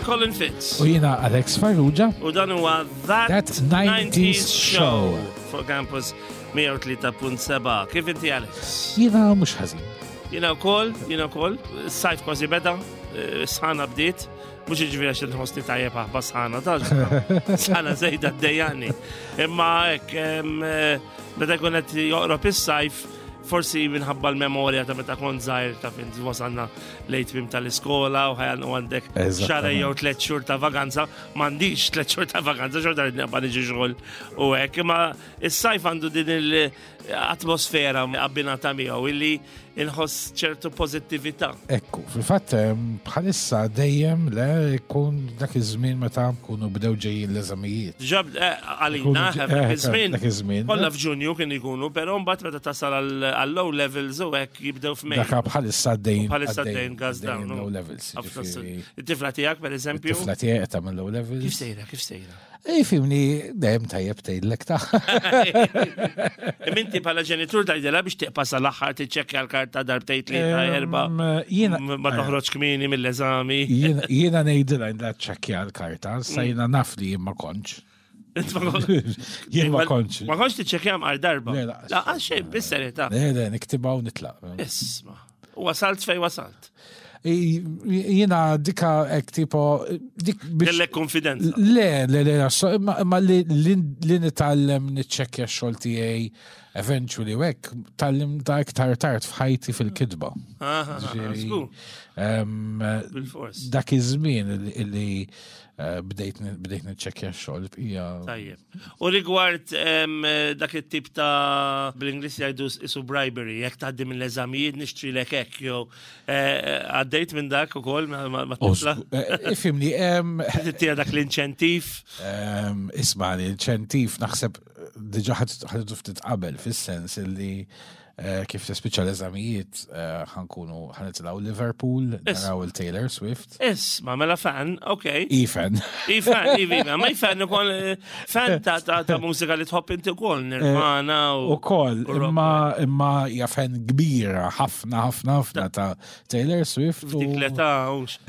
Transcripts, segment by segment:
Colin Fitz. U jiena Alex Farrugia. U dan huwa That, That 90s Show. Fuq Campus 103.7. Kif inti Alex? Jiena mhux ħażin. Jiena wkoll, jiena wkoll, sajf kważi beda, eh, sħana bdiet, mhux jiġifieri għax inħossni tajjeb aħba sħana ta' sħana żejda ddejjaqni. Imma hekk eh, meta jkun qed joqrob is-sajf, forsi minħabba l-memorja ta' meta kont żgħir ta' fin wasalna lejt tmim tal-iskola u ħajan u għandek xahar jew tliet xhur ta' vaganza, m'għandix tliet xhur ta' vaganza, xorta rrid naqba' niġi xogħol u hekk, imma is-sajf għandu din il-atmosfera abbinata miegħu illi inħoss ċertu pożittività. Ekku, fil-fatt bħalissa dejjem le jkun dak iż-żmien meta kunu bdew ġejjin l-eżamijiet. Ġab eh, għalina, eh, dak iż-żmien. Dak iż-żmien. Kollha f'Ġunju kien ikunu, però mbagħad meta tasal għall-low levels u hekk jibdew f'Mej. Dak bħalissa dejjem. Bħalissa dejjem gas down. Low levels. It-tifla tiegħek pereżempju. It-tifla tiegħek qed tagħmel low levels. Kif sejra, kif sejra? Ej, fimni, dejjem tajjeb tgħidlek ta' Minti bħala ġenitur tgħidilha biex tiqpa' sal-aħħar tiċċekkja l-karta darbtejn tlieta erba' ma toħroġ kmieni mill-eżami. Jiena ngħidilha la ċċekkja l-karta, sa jiena naf li jien ma kontx. Jien ma kontx. Ma kontx tiċċekkja għal darba. La, għal xejn, bis-serjetà. Le, le, niktibha u nitlaq. Isma'. Wasalt fej wasalt. Jina dika ek tipo. Dik Kellek konfidenza. Le, le, le, ma li nitgħallem niċċekkja x-xogħol tiegħi eventually u hekk tallim ta' iktar tard f'ħajti fil-kitba. Dak iż-żmien li eh, bdejt niċċekkja x-xogħol hija. Tajjeb. U rigward dak it-tip ta' bl-Ingliż jgħidu isu bribery, jekk tgħaddi mill-eżamijiet nixtrilek hekk jew eh, eh, għaddejt minn dak ukoll ma tifla. Eh, ifhimni, Tija dak l-inċentiv. Isma' l-inċentiv naħseb diġà ħadu ftit qabel fis-sens illi Eh, kif tispiċċa l-eżamijiet eh, ħankunu ħanitilgħu Liverpool, naraw il-Taylor Swift. Isma, mela fan, ok. I-fan. I-fan, i-fan, ma i-fan ukoll eh, fan ta' ta' mużika li tħobb inti ukoll, Nirvana u. Ukoll, imma imma hija fan kbira ħafna ħafna ħafna ta' Taylor Swift. Dik l-età.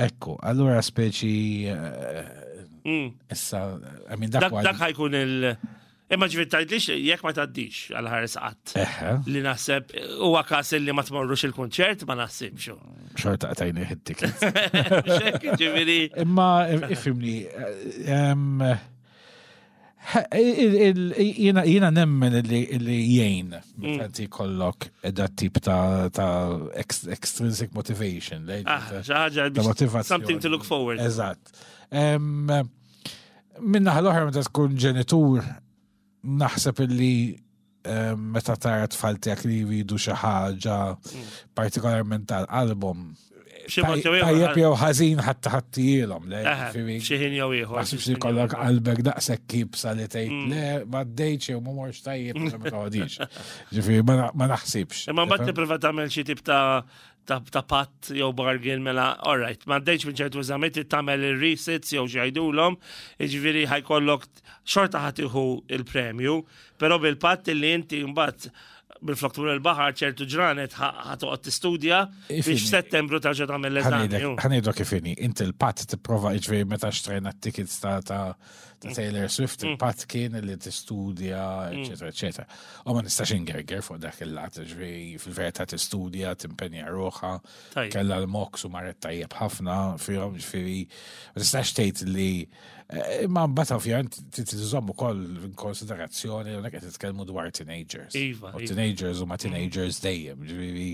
Ekku, allura speċi mm. issa, I mean, dak ħajkun il- Imma ġifieri tgħidlix jekk ma tgħaddix għal ħares qatt. Li naħseb huwa każ li ma tmorrux il-kunċert ma naħsibx. Xorta qtajni ħit-ticket. Ġifieri. Imma ifhimni jiena nemmen li jgħin meta inti jkollok dat tip ta' extrinsic motivation. Ah, motivazzjoni. Something to look forward. Eżatt. Minna l-oħra meta tkun ġenitur naħseb illi eh, meta tara tfal tiegħek li jridu xi ħaġa mm. partikolarment tal-album. Tajjeb jew ħażin ħadd ħaddilhom, le. Xi ħin jew ieħor. Naħsibx li kollok qalbek daqshekk kibsa li tgħid mm. le ma ddejtx jew ma morx tajjeb ma toqgħodix. Ġifieri ma naħsibx. Imma mbagħad tipprova tagħmel xi tip ta' ta' patt jew bargain mela, all right, ma għaddejtx minn ċertu eżamiet trid tagħmel ir-resits jew xi jgħidulhom, jiġifieri ħajkollok xorta ħadd iħu il-premju, però bil-patt li inti mbagħad bil-flok tmur il-baħar ċertu ġranet ħatoqgħod tistudja biex f'Settembru tarġa' tagħmel l-eżami. Ħanejdu kif inhi, inti l-patt tipprova jiġifieri meta xtrajna t-tickets ta' ta' Taylor Swift, mm. il-patt kien li tistudja, mm. eccetera, eccetera. U ma nistax ingerger fuq dak il-lat, ġifieri fil-verità tistudja, timpenja ruħha, kellha l-moks u marret tajjeb ħafna fihom, ġifieri ma tistax tgħid li eh, imma mbagħad ovvjament trid ukoll konsiderazzjoni hawnhekk qed titkellmu dwar teenagers. Iva, u iva. teenagers huma teenagers dejjem, ġifieri.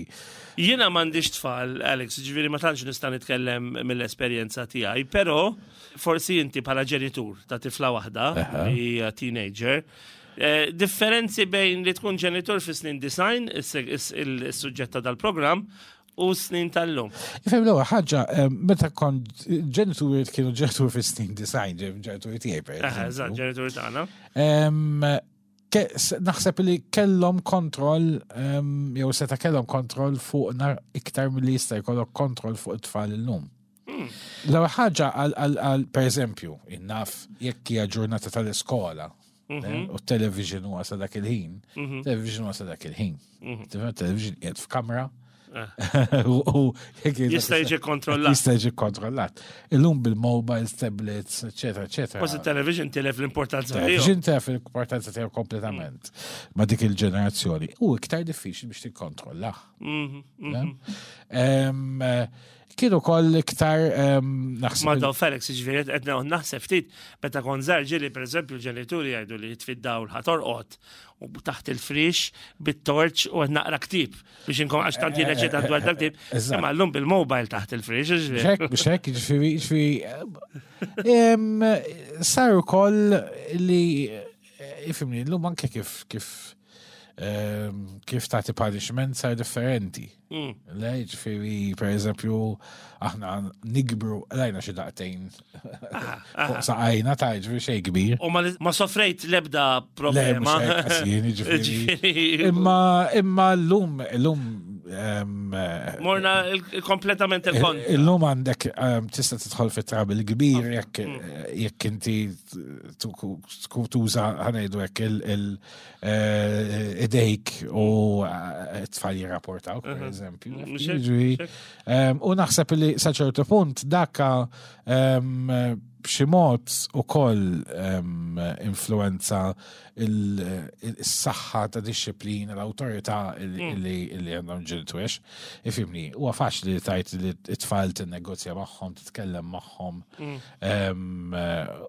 Jiena m'għandix tfal, Alex, ġifieri ma tantx nista' nitkellem mill-esperjenza tiegħi, però forsi inti bħala ġenitur ta' tifla waħda li hija teenager, eh, differenzi bejn li tkun ġenitur fi snin design, is-suġġett ta' dal-programm, u snin tal-lum. Ifhem l-ewwel ħaġa, eh, meta kont ġenituri kienu ġenitur fi snin design, ġenituri tiegħi per Eżatt, ġenituri tagħna. Naħseb li kellhom kontroll jew seta' kellhom kontroll fuqna iktar milli jista' jkollok kontroll fuq it-tfal illum. Hmm. L-ewwel ħaġa għal pereżempju, innaf jekk hija ġurnata tal-iskola mhm. eh, u t-television huwa sa dak il-ħin, mhm. television huwa sa dak il-ħin. Mhm. Television qiegħed f'kamra. U jista' jiġi kontrollat. Jista' jiġi kontrollat. Illum bil-mobiles, tablets, eccetera, eccetera. Kważi television tilef l-importanza tiegħu. Television tilef l-importanza tiegħu kompletament ma' dik il-ġenerazzjoni. U iktar diffiċli biex tikkontrollah. Kienu koll iktar naħseb. Ma daw Felix, ġifieri qed naħseb ftit meta kont żgħar ġieli pereżempju l-ġenituri jgħidu li jitfi dawl ħatorqod u taħt il-frix bit-torċ u qed naqra ktieb biex inkom għax tant jien eċitat dwar dak-ktieb. Imma llum bil-mobile taħt il-frix. Xek, biex hekk, ġifieri, ġifieri sar ukoll li ifimni llum anke kif kif kif tagħti punishment sar differenti. Le, ġifieri, per eżempju, aħna nikbru, lajna xi daqtejn fuq saqajna ta' ġifieri xejn kbir. U ma sofrejt l-ebda problema. Imma imma llum llum Morna kompletament il-kont. Illum għandek tista' tidħol fit-trab il-kbir jekk jekk inti tkun tuża ħanejdu hekk il idejk u t-tfal jirrapportaw, per eżempju. U naħseb li sa ċertu punt dakka b'xi mod ukoll influenza il-saħħa ta' disċiplina, l-awtorità li għandhom ġenituri. Ifimni, huwa faċli li tajt li t-tfal tinnegozja magħhom, titkellem magħhom.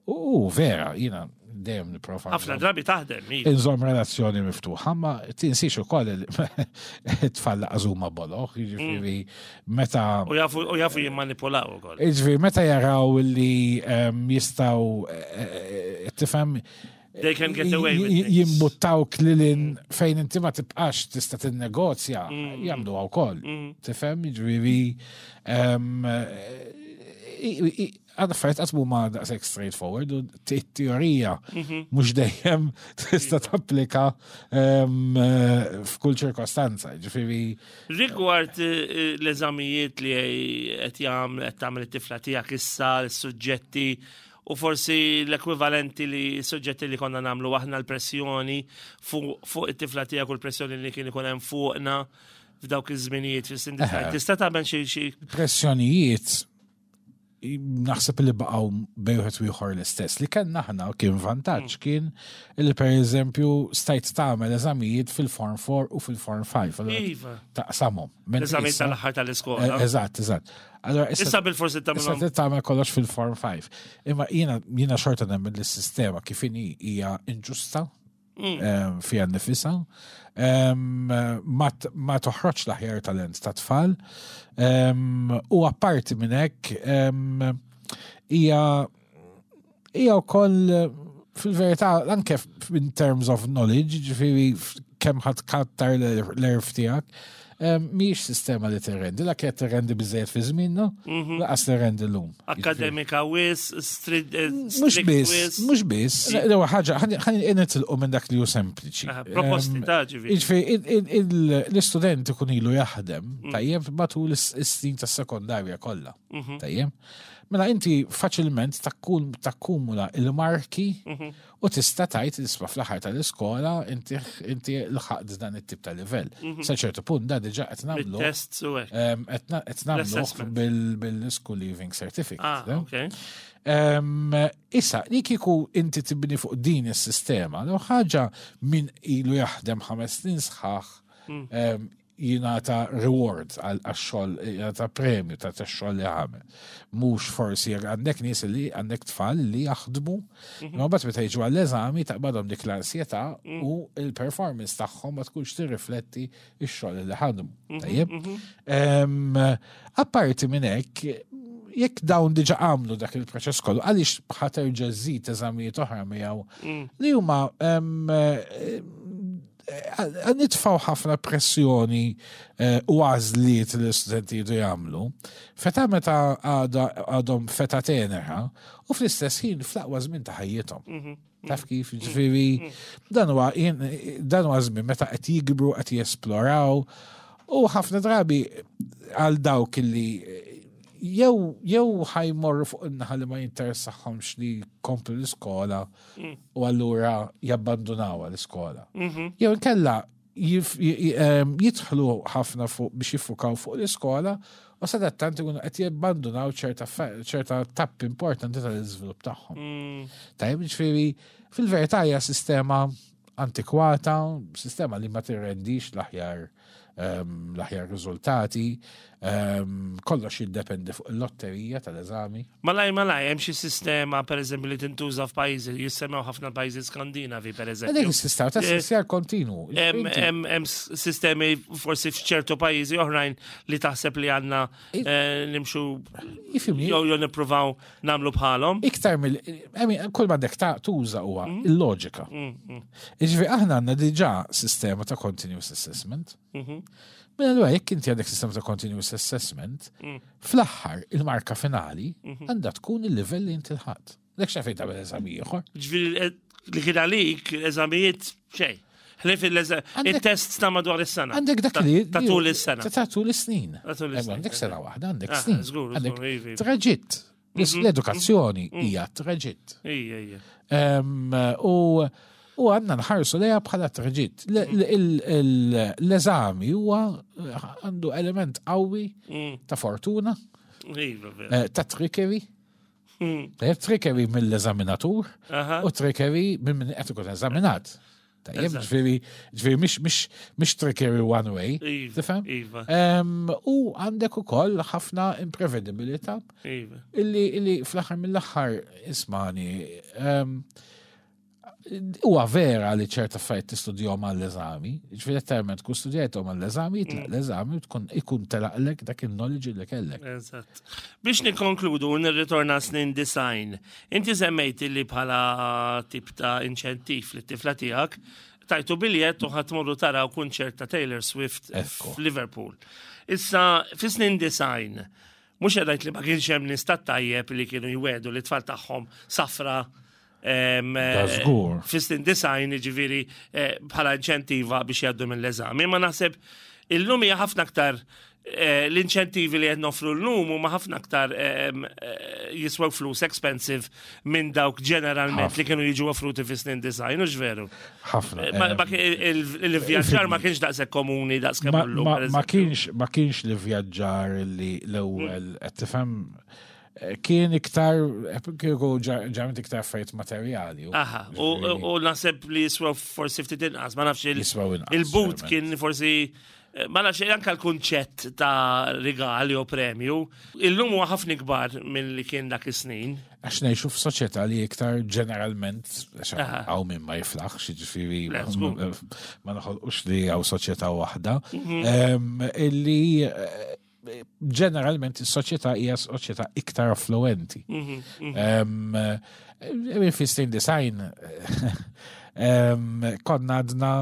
U vera, jiena dejjem nipprova. Ħafna drabi taħdem. Iva. Inżomm relazzjoni miftuħa, ma tinsiex ukoll it-tfal laqas huma boloh, jiġifieri meta. U jafu jimmanipulaw ukoll. Jiġifieri meta jaraw li jistgħu eh, eh, tifhem They can get away with things. Jimbuttawk lilin fejn inti ma tibqax tista' tinnegozja, jagħmluha wkoll. Tifhem, jiġifieri għad affarijiet qatt huma daqshekk straightforward u t-teorija mhux dejjem tista' tapplika f'kull ċirkostanza. Ġifieri Rigward l-eżamijiet li qed jagħmel qed tagħmel it-tifla tiegħek issa, l-suġġetti u forsi l-ekwivalenti li suġġetti li konna nagħmlu aħna l-pressjoni fuq it-tifla tiegħek u l-pressjoni li kien ikun hemm fuqna f'dawk iż-żminijiet fis-sindika. Tista' tagħmel xi pressjonijiet naħseb li baqgħu bejn wieħed u ieħor l-istess. Li kellna aħna kien vantaġġ kien li pereżempju stajt tagħmel eżamijiet fil-Form 4 u fil-Form 5. Allura Iva. Taqsamhom. L-eżamijiet tal-aħħar tal-iskola. Eżatt, eżatt. Allora issa bil-forsi tagħmel. Issa tagħmel kollox fil-Form 5. Imma jiena jiena xorta nemmen li s-sistema kif inhi hija inġusta fija nnifisha. Ma toħroġ l-aħjar talent ta' tfal. U apparti minn hekk hija hija wkoll fil-verità anke in terms of knowledge, ġifieri kemm ħadd kattar l-erf tiegħek, mhijiex sistema li tirrendi, la kienet tirrendi biżejjed fi żmienna, laqas tirrendi llum. Akademika wis, mhux biss, mhux biss, l-ewwel ħaġa ħa nitilqu minn dak li hu sempliċi. Proposti ta' ġifieri. Jiġifieri l-istudent ikun ilu jaħdem tajjeb matul is-snin tas-sekondarja kollha. Tajjeb. Mela inti faċilment takkumula il-marki u tista' tgħid isma' fl-aħħar tal-iskola inti inti lħaqt dan it-tip ta' livell. Sa ċertu punt da diġà qed nagħmlu. Tests u hekk. Qed nagħmlu bil-school leaving certificate. Ah, okay. Issa, li kieku inti tibni fuq din is-sistema, l ħaġa min ilu jaħdem 5 snin sħaħ jingħata reward għax-xogħol, jingħata premju ta' tax-xogħol li għamel. Mhux forsi jekk għandek nies li għandek tfal li jaħdmu, imma mbagħad meta jiġu għall-eżami taqbadhom dik l-ansjetà u l-performance tagħhom ma tkunx tirrifletti x-xogħol li ħadmu. Tajjeb? Apparti minn hekk, jekk dawn diġa għamlu dak il-proċess kollu, għaliex ħa terġa' żżid eżamijiet oħra miegħu li huma nitfaw ħafna pressjoni u għażliet li l-istudenti jridu jagħmlu. Feta meta għadhom feta tenera u fl-istess ħin fl-aqwa żmien ta' ħajjithom. Taf kif, ġifieri, dan huwa dan huwa żmien meta qed jikbru, qed jesploraw u ħafna drabi għal dawk li jew jew ħajmorru fuq in-naħa li ma jinteressahomx li jkomplu l-iskola u allura jabbandunawha l-iskola. Jew inkella jidħlu ħafna fuq biex jiffukaw fuq l-iskola u sadattant ikunu qed jabbandunaw ċerta tappi importanti tal-iżvilupp tagħhom. Tajjeb, ġifieri fil-verità hija sistema antikwata, sistema li ma tirrendix l-aħjar l-aħjar riżultati, kollox jiddependi fuq il-lotterija tal-eżami. Malaj, malaj, hemm xi sistema pereżempju li tintuża f'pajjiżi, jissemmew ħafna pajjiżi Skandinavi pereżempju. Dik is-sistema ta' eh, kontinu. Hemm sistemi forsi f'ċertu pajjiżi oħrajn li taħseb li għandna eh, nimxu jew jew nippruvaw nagħmlu bħalhom. Iktar mill kull ma dek ta' tuża huwa mm. il-loġika. Mm, mm. Iġvi aħna għandna diġà sistema ta' continuous assessment. Mhm. Mela allura jekk inti għandek sistema ta' continuous assessment, fl-aħħar il-marka finali mhm. għandha tkun il-livell li inti l-ħadd. Dak xafejn tagħmel eżami ieħor. Ġifieri eh, li kien għalik eżamijiet xejn. Ħlif il-test ta' madwar is-sena. Għandek dak li. Ta' tul is-sena. Ta' tul is-snin. Għandek sena waħda, għandek ah, snin. Għandek iva, iva. traġitt. Mhm. L-edukazzjoni mhm. hija traġitt. Ija, U u għandna nħarsu lejha bħala traġitt. Mm. L-eżami huwa għandu element qawwi mm. ta' fortuna, iva, eh, ta' trickery. Mm. Eh, trickery mill-eżaminatur u trickery minn min qed ikun eżaminat. Tajjeb, ġifieri, ġifieri mhix mhix mhix trickery one way. Iva, Tifhem? Iva. U għandek ukoll ħafna imprevedibilità. Iva. Illi illi fl-aħħar mill-aħħar ismani huwa vera li ċerta affarijiet tistudjahom għall-eżami, ġifieri letteralment tkun studjajthom għall-eżami, jitlaq mm. l-eżami u tkun ikun telaqlek dak il-knowledge li kellek. Eżatt. Biex nikkonkludu u nirritorna snin design, inti semmejt li bħala tip ta' inċentiv li tifla tiegħek tajtu biljett u ħatmurru taraw kunċert ta' Taylor Swift f'Liverpool. Issa, fi snin design, mhux qed li ma kienx hemm nies tajjeb li kienu jwedu li tfal tagħhom safra Żgur. Fis-snin design, ġifieri eh, bħala inċentiva biex jgħaddu mill-eżami. Ma naħseb illum hija ħafna aktar eh, l-inċentivi li qed nofru llum huma ħafna aktar eh, jiswew flus expensive minn dawk ġeneralment li kienu jiġu offruti fis-snin design, u veru? Ħafna. Il-vjaġġar ma kienx daqshekk komuni daqs kemm illum. Ma kienx ma kienx l-vjaġġar li l-ewwel qed tifhem kien iktar, kieku ġarment iktar affarijiet materjali. Aha, u naħseb li jiswew forsi ftit inqas, ma nafx il-but kien forsi eh, ma nafx anka l-kunċett ta' rigal jew premju, illum huwa ħafna ikbar mill-li kien dak is-snin. Għax ngħixu f'soċjetà li iktar ġeneralment, għaw minn ma jiflaħx, jiġifieri ma noħolqux li hawn soċjetà waħda, mhm. illi eh, ġeneralment is-soċjetà hija soċjetà iktar affluenti. Mhm, mhm. Fi snin design konna għadna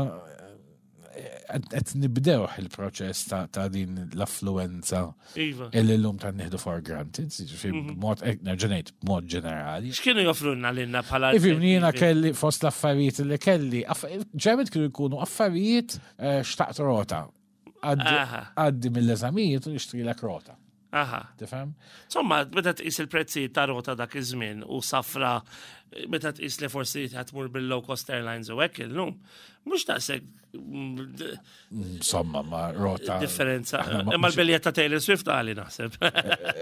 qed nibdew il-proċess ta' din l-affluenza iva. illi l-lum ta' nieħdu for granted, ġifieri mhm. b'mod eh, nerġa' ngħid b'mod ġenerali. X'kienu joffrulna lilna bħala Ifimni jiena kelli fost l-affarijiet li kelli, ġeneralment kienu jkunu affarijiet eh, xtaqt rota. Għaddi mill-eżamijiet u nixtrilek rota. Aha. Tifhem? Insomma, meta tqis il-prezzijiet ta' rota dak iż-żmien u safra, meta tqis li forsi tmur bil-low cost airlines u hekk illum, mhux daqshekk mm, Insomma, ma rota. Differenza. Imma l-biljett ta' Taylor Swift għali naħseb.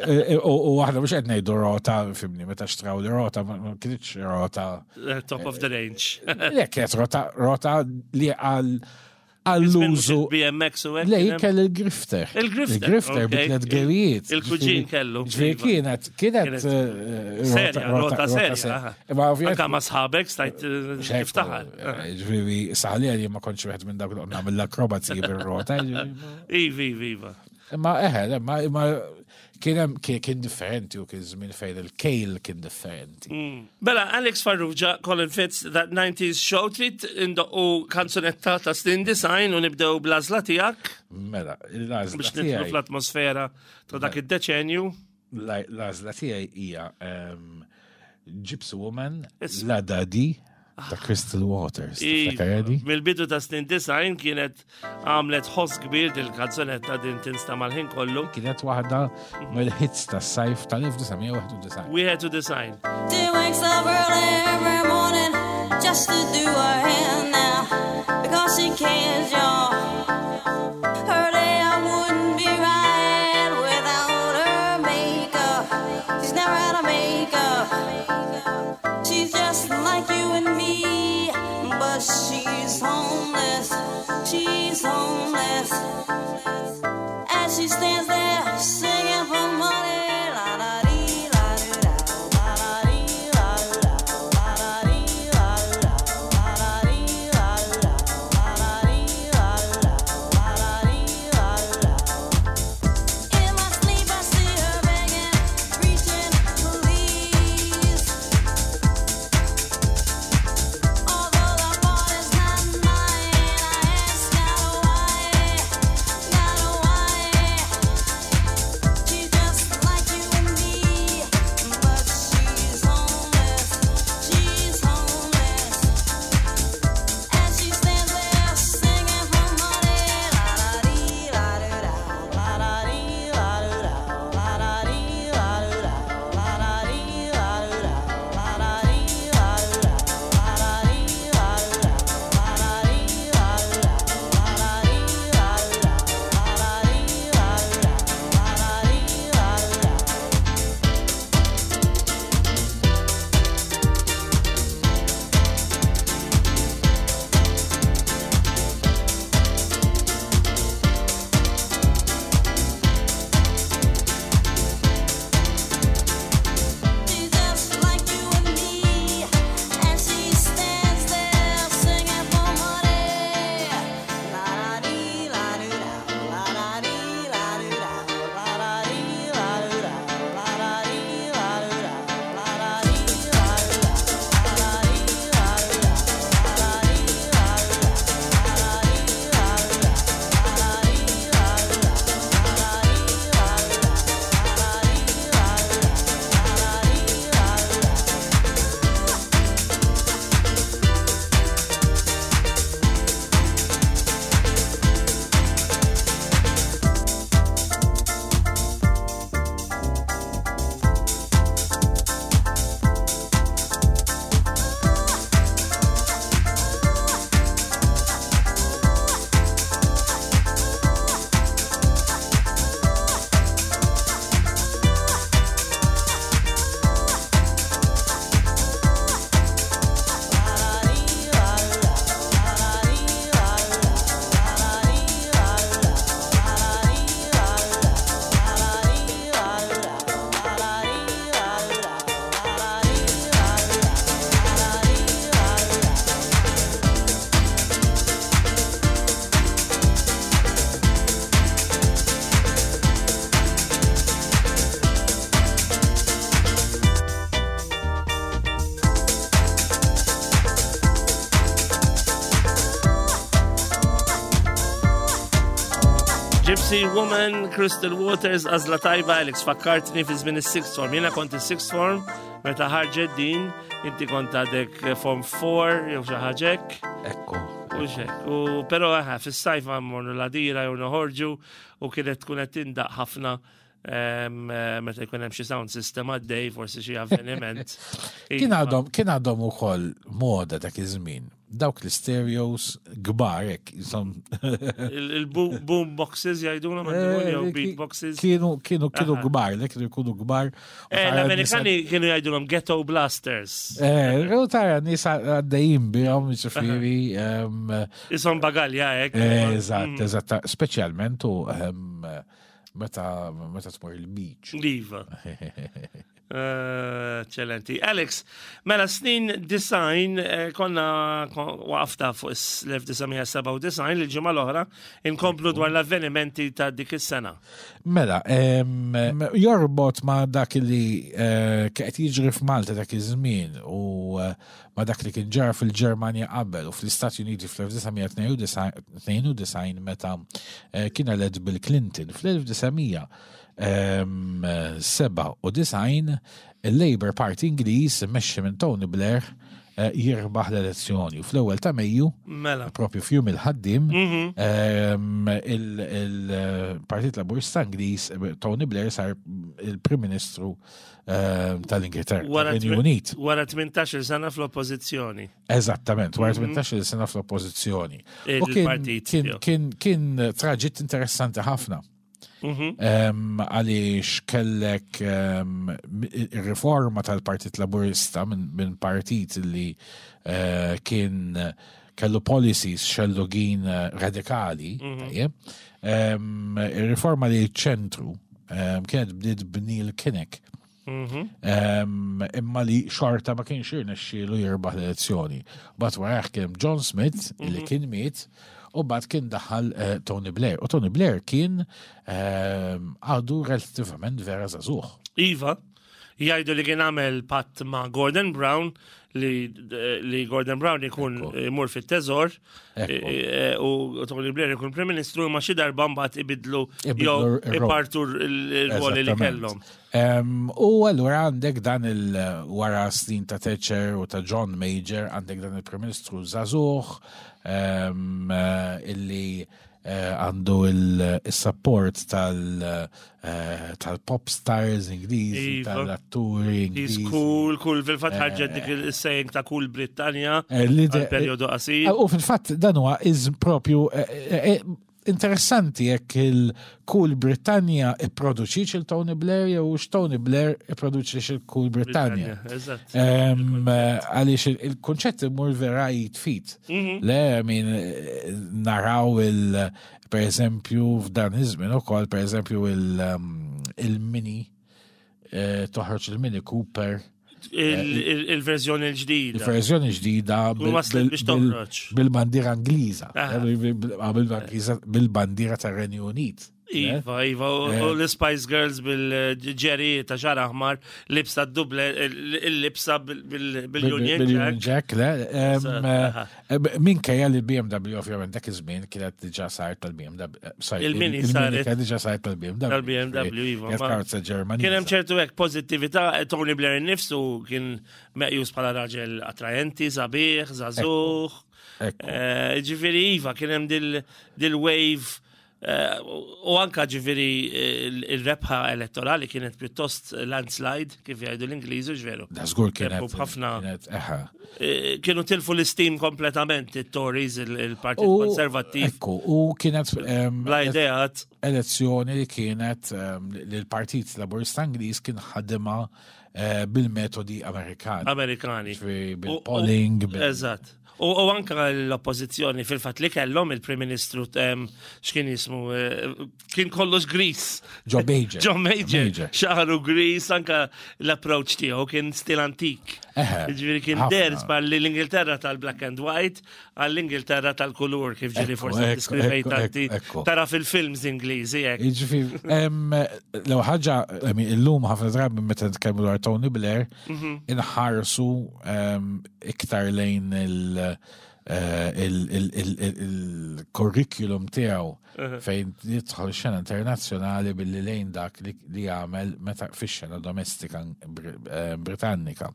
Eh, eh, u aħna mhux qed ngħidu rota, fimni, meta xtraw li rota, ma kienx rota. Eh, top of the range. Le, kienet rota, rota li għal għall-użu. BMX u hekk. Le, kelli il-grifter. Il-grifter. Il-grifter bi tliet gerijiet. Il-kuġin kellu. Ġifieri iva. kienet, kienet. Eh, serja, rota serja. Imma ovvjament. Anka ma sħabek stajt eh, tiftaħar. Eh, ġifieri saħli għalli ma kontx wieħed minn dawk li nagħmel l-akrobazzi bir-rota. Iva, iva, iva. Imma eħe, imma imma kien hemm kien differenti u kien żmien fejn il-kejl kien differenti. Mm. Bela, Alex Farrugia, Colin Fitz, That 90s Show, trid indoqqu kanzunetta ta' snin design u nibdew bl-għażla tiegħek. Mela, l-għażla Biex nidħlu fl-atmosfera ta' dak mela. id-deċenju. L-għażla tiegħi hija ehm, Gypsy Woman, La Dadi, ta' Crystal Waters. Mill-bidu ta' snin design kienet għamlet ħoss kbir dil-kanzunetta din tinsta mal-ħin kollu. Kienet waħda mill-hits tas sajf tal-1991. Wieħed u design. She wakes up early every morning just to do her hair now. because she cares, y'all. Her day I wouldn't be right without her makeup. She's never had a makeup. She's just like you and me, but she's homeless. She's homeless. As she stands there singing for money. La la dee, la doo da, la la dee, la doo da, la la dee, la doo da, la la dee, la doo da, la la dee, la doo da, la la dee, la doo da. In my sleep I see her begging, preaching, please. Although the fault is not mine, I ask God why, God why. She's just like you and me, but she's homeless. She's homeless. As she stands there singing for money, la la dee, la doo da, la la dee, la doo da, la la dee, la doo da, la la dee, la doo da, la la dee, la doo da, la la dee, la doo da, la la dee, la doo da, la la dee, la doo da, la la dee, la doo da, la la dee, la doo da. She's just like you and me, and she stands there singing for money. La la dee, la doo da, la la dee, la doo da, la la dee, la doo da, la la dee, la doo da, la la dee, la doo da, la la dee, la doo da, la la dee, la doo da, la la dee, la doo da, la la dee, la doo da, la la dee, la doo da, la la dee, la doo da, la la dee, la doo da. Gypsy Woman, Crystal Waters, għazla tajba, Alex, fakkartni fi żmien is-sixth form. Jiena kont is-sixth form, meta ħarġet din, inti kont għadek form 4, jew xi ħaġa hekk. Ekku. U xek. U però eħe, fis-sajf mmorru l-għadira jew noħorġu u kienet tkun qed tindaq ħafna em, eh, meta jkun hemm xi sound system għaddej, forsi xi avveniment. Kien għadhom kien għadhom ukoll moda dak iż-żmien. Dawk l-stereos kbar hekk jisom Il-boom boxes jgħiduna ma jew Eh, beat boxes. Kienu kienu kienu Aha. kbar, le kienu jkunu kbar. U Eh, tara L-Amerikani kienu jgħidulhom ghetto blasters. nisa- Eh, u tara nies għaddejjin bihom, ġifieri. em, Isom bagalja hekk. eh, Eżatt, eżatt, speċjalment u em, meta meta tmur il-beach. Iva. Eh, Eccellenti. Alex, mela snin design eh, konna kon- waqafta fuq is- l-1997 il-ġimgħa l-oħra inkomplu dwar l-avvenimenti ta' dik is-sena. Mela, em, jorbot ma dak li eh, qed jiġri f'Malta dak iż-żmien u eh, ma dak li kien ġara fil-Ġermanja qabel u fl-Istati Uniti fl-1992 meta eh, kien elett Bill Clinton fl-1997 il-Labour Party Ingliż immexxi minn Tony Blair jirbaħ l-elezzjoni. U fl-ewwel ta' Mejju, Mela. propju f'jum il-ħaddim, il-Partit Laburista Ingliż Tony Blair sar il-Prim Ministru tal-Ingilterra, tal-Renju Unit. Wara 18 sena fl-oppożizzjoni. Eżattament, wara 18 sena fl-oppożizzjoni. U Il-partit tiegħu. Kien traġitt interessanti ħafna. Għaliex kellek riforma tal-Partit Laburista minn partit li kien kellu policies xellugin radikali, tajjeb. Ir-riforma li ċentru kienet bdiet b'Neil Kinnock. Imma li xorta ma kienx irnexxielu jirbaħ l-elezzjoni. Bat warajh kien John Smith li kien miet u bat kien daħal Tony Blair. U Tony Blair kien għadu relativament vera żagħżugħ. Iva, jgħidu li kien għamel patt ma' Gordon Brown li Gordon Brown ikun imur fit-teżor u Tony Blair ikun Prim Ministru, ma xi darba mbagħad ibidlu Ibidlu jew ir-rol. ipartu il-ruoli li kellhom. U allura għandek dan il-wara snin ta' Thatcher u ta' John Major, għandek dan il-Prim Ministru żagħżugħ illi għandu il-support tal-pop stars Ingliżi, tal-atturi He's Ingliżi. cool, cool, fil-fatt ħarġet dik il-saying ta' cool Brittanja Li għal periodu qasir. U fil-fatt dan huwa iż propju interessanti jekk il-Cool Britannia ipproduċiċ il-Tony Blair jew Tony Blair ipproduċiċ il-Cool Britannia. Eżatt. Għaliex il-konċett imur vera jitfit. Le, min naraw il, per eżempju, f'dan iż-żmien ukoll, per eżempju, il-Mini, toħroġ il-Mini Cooper. Il-verżjoni l-ġdida. Il-verżjoni ġdida Kun waslet biex toħroġ. bil-bandiera Ingliża. Bil-bandiera tar-Renju Unit. Iva, iva, u l-Spice Girls bil-ġeri ta' xar aħmar, libsa duble, il-libsa bil-Union Bil-Union Jack. Jack, le. Eżatt, aha. Minkejja li BMW ovvjament dak iż-żmien kienet diġà saret tal-BMW. Sorry, Il-Mini il-Mini saret. kienet diġà saret tal-BMW. Tal-BMW, iva, Kienet karozza Ġermaniża. Kien hemm ċertu hekk pożittività, Tony Blair innifsu kien meqjus bħala raġel attraenti, sabiħ, żagħżugħ. Ekku. Ġifieri iva, kien hemm dil-wave u anka ġifieri il-rebħa elettorali kienet pjuttost landslide, kif jgħidu l-Ingliżi, ġveru. Da żgur kienet. Rebħu b'ħafna. Kienet, eħa. Kienu tilfu l-istim kompletament it-Tories, il-Partit Konservattiv. Ekku, u kienet Bla ideat. elezzjoni li kienet li l-Partit Laburista Ingliż kien ħadima bil-metodi Amerikani. Amerikani. Ġifieri bil-polling, Eżatt. U anka l-oppozizjoni fil-fat li kellhom il-Prim Ministru x'kien jismu, kien kollox gris. John Major. John Major. Major. Xaħru gris, anka l-approach tiegħu kien stil antik. Ġifieri kien Ħafna. der li l-Ingilterra tal-black and white għall-Ingilterra tal-kulur kif ġieli forsi deskrivejt tanti tara fil-films Ingliżi hekk. Jiġifieri, l ħaġa, I mean, illum ħafna drabi meta nitkellmu dwar Tony Blair, inħarsu iktar lejn il-curriculum tiegħu fejn jidħol xena internazzjonali billi lejn dak li jagħmel meta fix-xena domestika Britannika. U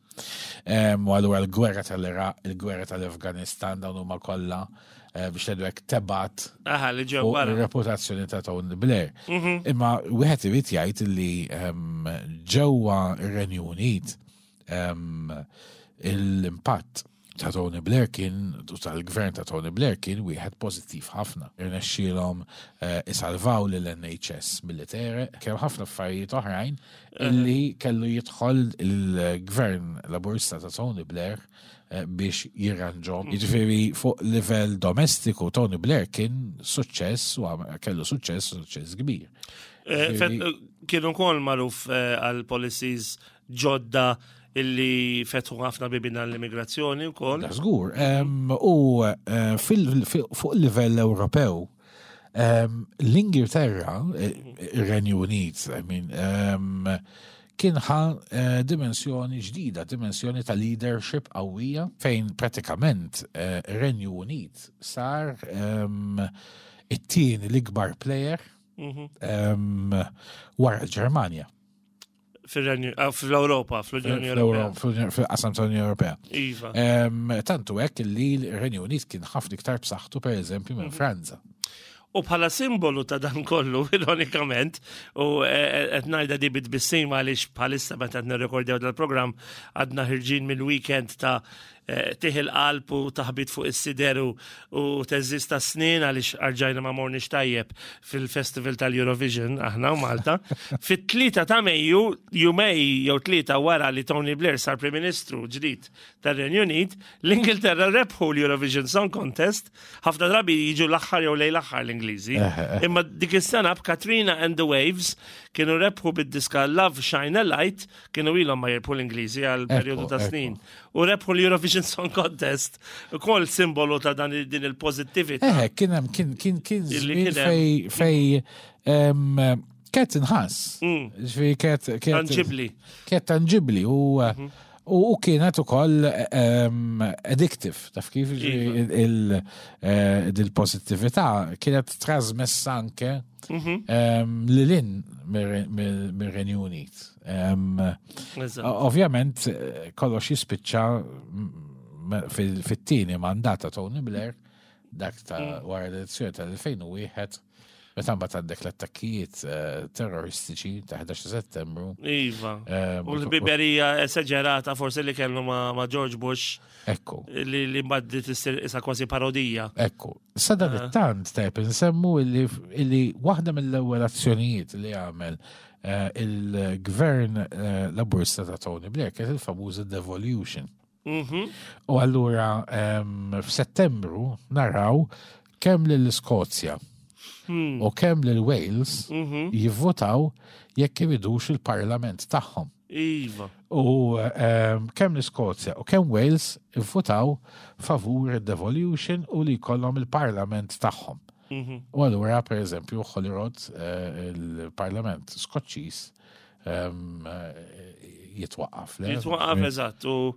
allura l-gwerra tal-Iraq, il-gwerra tal-Afganistan dawn huma kollha biex ngħidu hekk tebat Aha, li ġew fuq wara. ir-reputazzjoni ta' Tony Blair. Imma wieħed irid jgħid li ġewwa ir-Renju Unit l-impatt ta' Tony Blair kien, u tal-gvern ta' Tony Blair kien wieħed pożittiv ħafna. Irnexxielhom isalvaw lill-NHS milli tereq, kemm ħafna affarijiet oħrajn illi kellu jidħol il-gvern Laburista ta' Tony Blair biex jirranġhom. Jiġifieri fuq livell domestiku Tony Blair kien suċċess u kellu suċċess, suċċess kbir. Kienu wkoll magħruf għal policies ġodda illi fetħu ħafna bibien għall-immigrazzjoni wkoll. Da żgur. U fuq livell Ewropew, l-Ingilterra, ir-Renju Unit, I mean, kien ħa dimensjoni ġdida, dimensjoni ta' leadership qawwija, fejn pratikament ir-Renju Unit sar it-tieni l-ikbar player wara l-Ġermanja. Fil-Renju, ah, fl-Ewropa, fl-Unjoni Ewropea. Fil-qasam tal-Unjoni Ewropea. Iva. Tantu hekk li l-Renju Unit kien ħafna iktar b'saħħtu pereżempju minn mhm. Franza. U bħala simbolu ta' dan kollu, ironikament, u e, e, qed ngħidha di bitbissima għaliex bħalissa meta qed nirrekordjaw dal-programm għadna ħirġin mill-weekend ta' e, tih il-qalb u taħbit fuq is-sider u teżżis ta' snin għaliex arġajna ma morniex tajjeb fil-Festival tal-Eurovision aħna u Malta. Fit-tlieta ta' Mejju, jumej jew tlieta wara li Tony Blair sar Prim Ministru ġdid tar-Renju Unit, l-Ingilterra rebħu l-Eurovision Song Contest, ħafna drabi jiġu l-aħħar jew lejn l-aħħar l-Ingliżi. Imma dik is-sena b'Katrina and the Waves kienu rebħu bid-diska Love Shine a Light, kienu ilhom ma jirbħu l-Ingliżi għal perjodu ta' snin. U rebħu l-Eurovision Song Contest, ukoll simbolu ta' dan din il-pożittività. Eh, kien hemm kien kien kien żmien fej fej kienet inħass. Ġifieri kienet Tanġibli. Kienet tanġibli u mhm. U kienet ukoll addictive, taf kif iva. Eh, il-pozittività kienet trasmessa anke mhm. lilin mir-Renju Unit. Ovvjament eh, kollox jispiċċa fit-tieni mandat ta' Tony Blair dak ta' mm. wara l-elezzjoni tal-2001 Meta mbagħad għandek l-attakkijiet eh, terroristiċi ta' 11 Settembru. Iva. Eh, u l-biberija esaġerata forsi li kellu ma' George Bush. Ekku. Li li mbagħad issir isa kważi parodija. Ekku. Sada eh. tant tajb insemmu illi waħda mill-ewwel azzjonijiet li għamel il-gvern laburista ta' Tony Blair kienet il-famuża devolution. Mhm. U allura f'Settembru naraw kemm lill-Iskozja hmm. u kemm lil Wales mhm. jivvotaw jekk iridux il-parlament tagħhom. Iva. U kemm l-Iskozja u kemm Wales ivvotaw favur id-devolution u li jkollhom il-parlament tagħhom. Mhm. U allura, per eżempju, Holyrood, eh, il-parlament Skoċċiż, jitwaqqaf. Jitwaqqaf, eżatt, u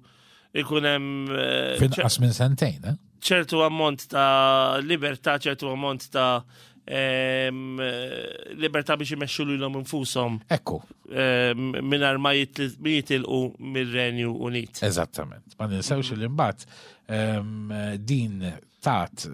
ikun hemm. Eh, Finqas minn sentejn, eh? ċertu ammont ta' libertà, ċertu ammont ta' libertà biex imexxu lilhom infushom. Ekku. Mingħajr ma jitilqu mir-Renju Unit. Eżattament. Ma ninsewx li mbagħad din tat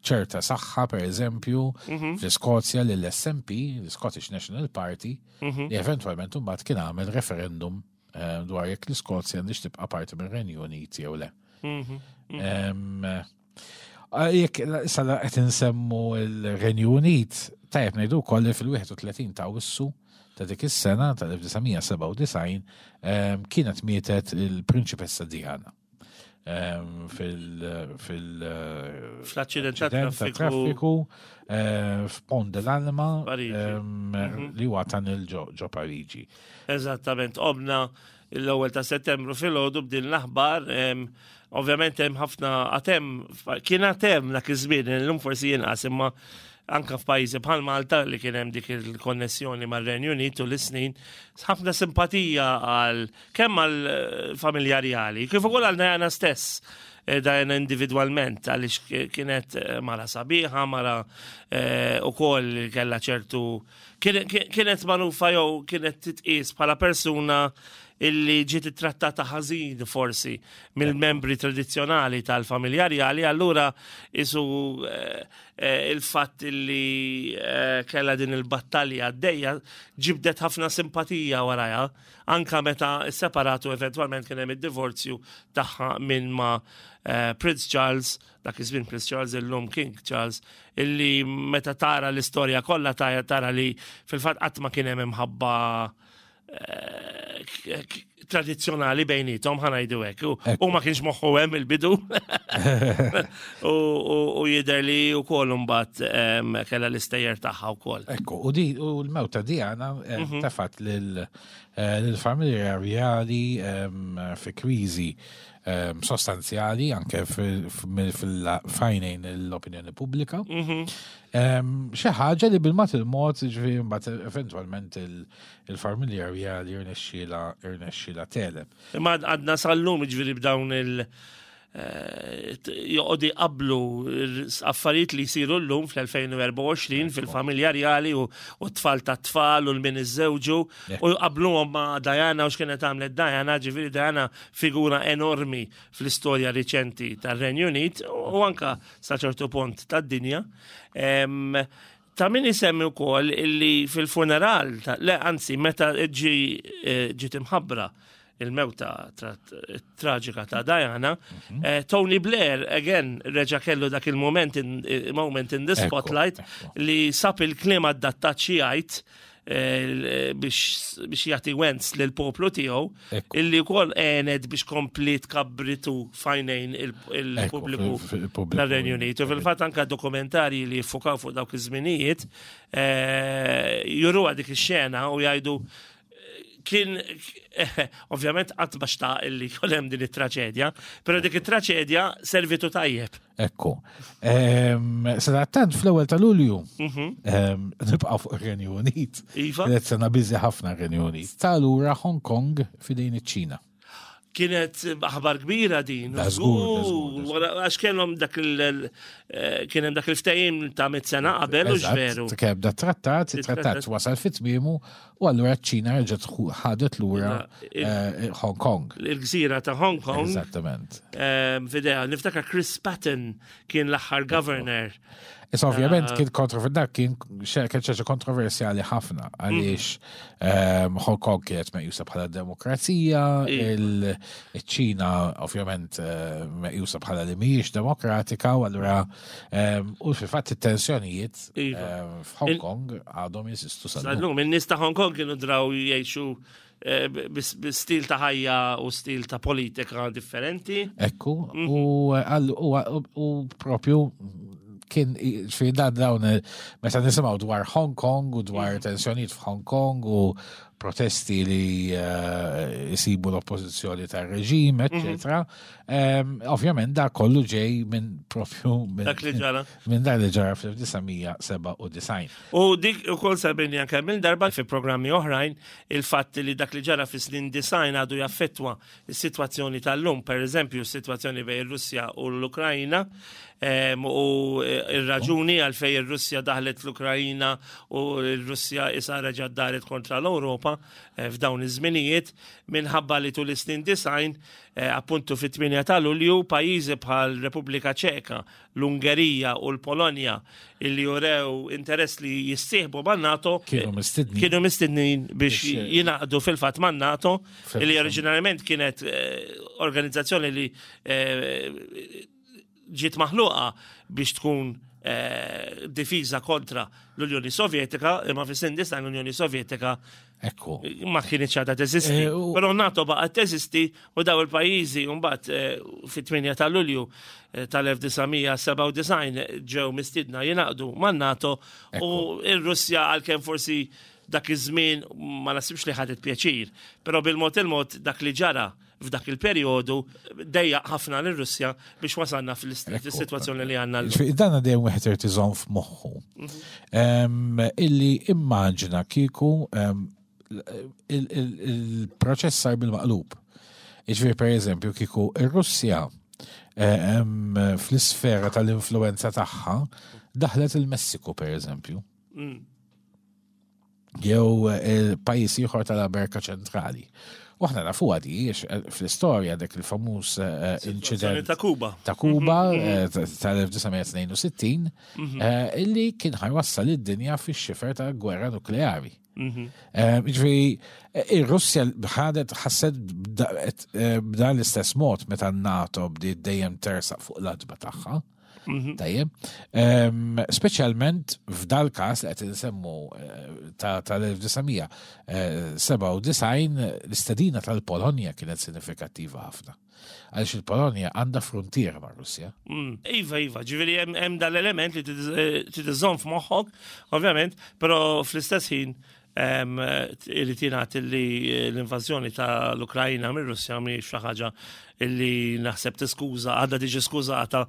ċerta saħħa, per eżempju, mhm. fl-Iskozja lill-SNP, l-Scottish National Party, mhm. li eventualment mbagħad kien għamel referendum eh, dwar jekk l-Iskozja għandix tibqa' parti mir-Renju Unit jew le. Mhm. Eh, jekk issa qed insemmu l-Renju Unit, tajjeb ngħidu wkoll li fil-31 ta' Awwissu ta' dik is-sena tal-1997 kienet mietet il-Prinċipessa Diana. Fil- fil- Fl-aċċident ta' traffiku eh, f'Pont de l'Alma mhm. li huwa tunnel ġo Pariġi. Eżattament, qomna l-ewwel ta' Settembru filgħodu b'din l-aħbar ovvjament hemm ħafna għatem kien għatem dak iż-żmien illum forsi jinqas imma anka f'pajjiżi bħal Malta li kien hemm dik il-konnessjoni mar-Renju Unit u l-snin, ħafna simpatija għal kemm għal eh, familja rjali, kif ukoll għal Diana stess. Eh, Diana individwalment għaliex kienet eh, mara sabiħa, mara ukoll kellha ċertu kienet magħrufa jew kienet titqies bħala persuna illi ġiet ittrattata ħażin forsi mill-membri tradizzjonali tal-familja rjali, allura isu Eh, il-fatt li eh, kella din il-battalja għaddejja ġibdet ħafna simpatija warajha, anka meta separatu eventwalment kien hemm id-divorzju tagħha minn ma eh, Prince Charles, dak iż-żmien Prince Charles illum King Charles, illi meta tara l-istorja kollha tara li fil-fatt qatt ma kien hemm imħabba tradizzjonali bejnietom ħanajdu hekk. U ma kienx moħħu hemm il-bidu. U jidher li wkoll imbagħad kellha l-istejjer tagħha wkoll. Ekku, u di u l-mewta Diana mhm. tefat eh, lill-familja rjali fi kriżi sostanzjali anke fil-fajnejn l-opinjoni pubblika. Mhm. Xi ħaġa li bil-mat il-mod, ġifieri mbagħad eventwalment il-familja rjali irnexxiela irnexxiela teleb. Imma għadna sal-lum ġifieri b'dawn il- joqogħdu jqabblu affarijiet li jsiru llum fl-2024 fil-familja rjali u t-tfal ta' tfal u l-min iżżewġu u jqabbluhom ma' Diana u x'kienet għamlet Diana, ġifieri Diana figura enormi fl-istorja riċenti tar-Renju Unit u anka sa ċertu punt tad-dinja. Ta' min isemmi wkoll illi fil-funeral, le anzi meta ġi eh, ġiet imħabbra il-mewta traġika ta' Diana, eh, Tony Blair, again, reġa kellu dak il-moment in, eh, moment in the spotlight li sab il-kliem adattat xi jgħid eh, biex biex jagħti wens lil poplu tiegħu illi wkoll għenet biex kompli tkabritu fajnejn il-pubbliku tar-Renju Unit. U fil-fatt anka dokumentarji li jiffukaw fuq dawk iż-żminijiet juruha dik ix-xena u jgħidu kien ovvjament qatt ma xtaq illi jkun hemm din it-traċedja, però dik it-traċedja servitu tajjeb. Ekku. Sadattant fl-ewwel ta' Lulju nibqa' fuq ir-Renju Unit. Iva. Kienet sena biżi ħafna r-Renju Unit. Ta' lura Hong Kong f'idejn iċ-Ċina. Kienet aħbar kbira din. Da żgur, da żgur. Għax kellhom dak il eh, kien hemm dak il-ftehim ta' mit sena qabel u veru. Kemm da trattat, it-trattat wasal fit tmiemu u allura ċ-Ċina reġgħet ħadet lura eh, Hong Kong. Il-gżira ta' Hong Kong. Eżattament. Eh, fidea, niftakar Chris Patton kien l-aħħar governor. Issa ovvjament kien kontro dak kien kien xi kontroversjali ħafna għaliex Hong Kong kienet meqjusa bħala demokrazija, il-Ċina ovvjament meqjusa bħala li mhijiex demokratika u allura u fil-fatt it-tensjonijiet Iva. f'Hong Kong għadhom jeżistu sal-lum. Sal-lum, in-nies ta' Hong Kong kienu draw jgħixu bi stil ta' ħajja u stil ta' politika differenti. Ekku, u propju kien fi dan dawn meta nisimgħu dwar Hong Kong u dwar tensjonijiet f'Hong Kong u protesti li jisibu l-oppożizzjoni tar-reġim, eccetera. Ovvjament da kollu ġej minn propju minn Dak li ġara. Minn dak li ġara fl-1997. U dik ukoll sabini anke minn darba fi programmi oħrajn il-fatt li dak li ġara fi snin design għadu jaffettwa s-sitwazzjoni tal-lum, per eżempju s-sitwazzjoni bejn ir-Russja u l-Ukrajna, u ir-raġuni għalfejn ir-Russja daħlet l-Ukrajna u r-Russja issa reġgħet daret kontra l-Ewropa f'dawn iż-żminijiet minħabba li tul is-snin design appuntu fit-8 ta' Lulju pajjiżi bħal Repubblika Ċeka, l-Ungerija u l-Polonja illi jurew interess li jissieħbu man-NATO Kienu mistednin. kienu mistednin biex jingħaqdu fil-fatt man-NATO illi oriġinarjament kienet organizzazzjoni li ġiet maħluqa biex tkun difiża kontra l-Unjoni Sovjetika, imma fis-snin disgħin l-Unjoni Sovjetika Ekku. ma kienx għadha teżisti. Però NATO baqgħet teżisti u daw il-pajjiżi mbagħad fit-8 ta' Lulju tal-1997 ġew mistiedna jingħaqdu man-NATO u r-Russja għalkemm forsi dak iż-żmien ma nasibx li ħadet pjaċir, però bil-mod il-mod dak li ġara f'dak il-perjodu dejjaq ħafna lir-Russja biex wasalna fil-sitwazzjoni li għandna llum. Ġifieri dan dejjem wieħed irid iżomm f'moħħu. Illi immaġina kieku il-proċess sar bil-maqlub. Ġifieri pereżempju kieku ir-Russja fl-isfera tal-influenza tagħha daħlet il-Messiku pereżempju. Jew pajjiż ieħor tal-Amerika Ċentrali. U aħna nafu għadi, fl-istorja dak il-famuż inċident ta' Kuba. Ta' Kuba tal-1962, illi kien ħajwassal id-dinja fix-xifer ta' gwerra nukleari. Ġifieri, ir-Russja ħadet ħasset b'dan l-istess mod meta n-NATO bdiet dejjem tersaq fuq l-adba tagħha. Tajjeb. Speċjalment f'dal każ li qed insemmu tal-1997 l-istedina tal-Polonja kienet sinifikattiva ħafna. Għaliex il-Polonja għandha fruntiera mar-Russja. Iva, iva, ġifieri hemm dal-element li trid iżżomm f'moħħok, ovvjament, però fl-istess ħin Irid jingħad li l-invażjoni tal-Ukrajna mir-Russja mhijiex xi ħaġa li naħseb tiskuża, għadha tiġi skużata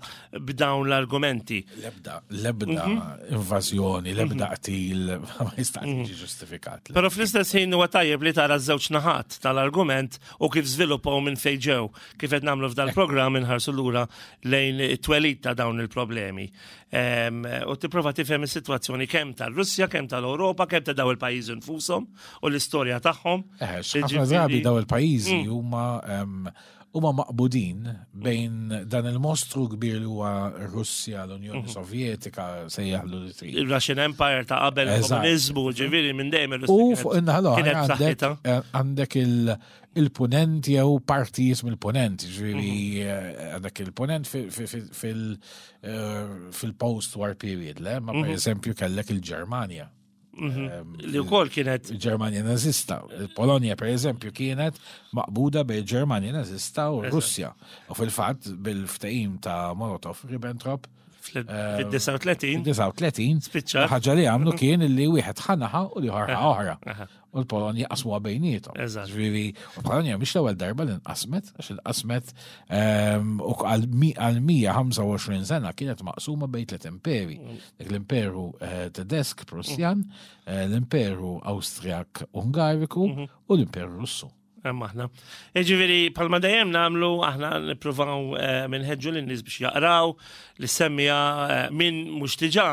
b'dawn l-argumenti. L-ebda, l-ebda invażjoni, l-ebda qtil ma jista' jiġi ġustifikat. Però fl-istess ħin huwa tajjeb li tara ż-żewġ naħat tal-argument u kif żviluppaw minn fejn ġew, kif qed nagħmlu f'dal-programm inħarsu lura lejn it-twelid ta' dawn il-problemi. U tipprova tifhem is-sitwazzjoni kemm tar-Russja, kemm tal-Ewropa, kemm ta' daw il-pajjiżi nfushom u l-istorja tagħhom. Ħafna drabi daw il-pajjiżi huma maqbudin bejn dan il-mostru kbir li huwa Russja, l-Unjoni Sovjetika, sejjaħlu li trid. Il-Russian Empire ta' qabel il-komuniżmu, ġifieri minn dejjem ir-Russja. U fuq in-naħa l-oħra għandek il-punent jew partijiet mill-punent, ġifieri għandek il-punent fil-post-war period, le? Ma per eżempju kellek il-Ġermanja. Li wkoll kienet Il-Ġermanja nazista. Il-Polonja, per eżempju, kienet maqbuda bejn Ġermanja nazista u Russja. U fil-fatt, bil-ftehim ta' Molotov-Ribbentrop, fil-39 39, Spiċċat. ħaġa li għamlu kien li wieħed ħa naħa u l-ieħor ħa oħra. U l-Polonja qasmuha bejniethom. Ġifieri, u l-Polonja mhix l-ewwel darba li nqasmet, għax inqasmet u għal 125 sena kienet maqsuma bejn tliet imperi. Dik l-Imperu Tedesk Prussjan, l-Imperu Awstrijak Ungariku u l-Imperu Russu. Hemm aħna. Jiġifieri bħalma dejjem nagħmlu aħna nippruvaw minħeġġu lin-nies biex jaqraw, li semmija min mhux diġà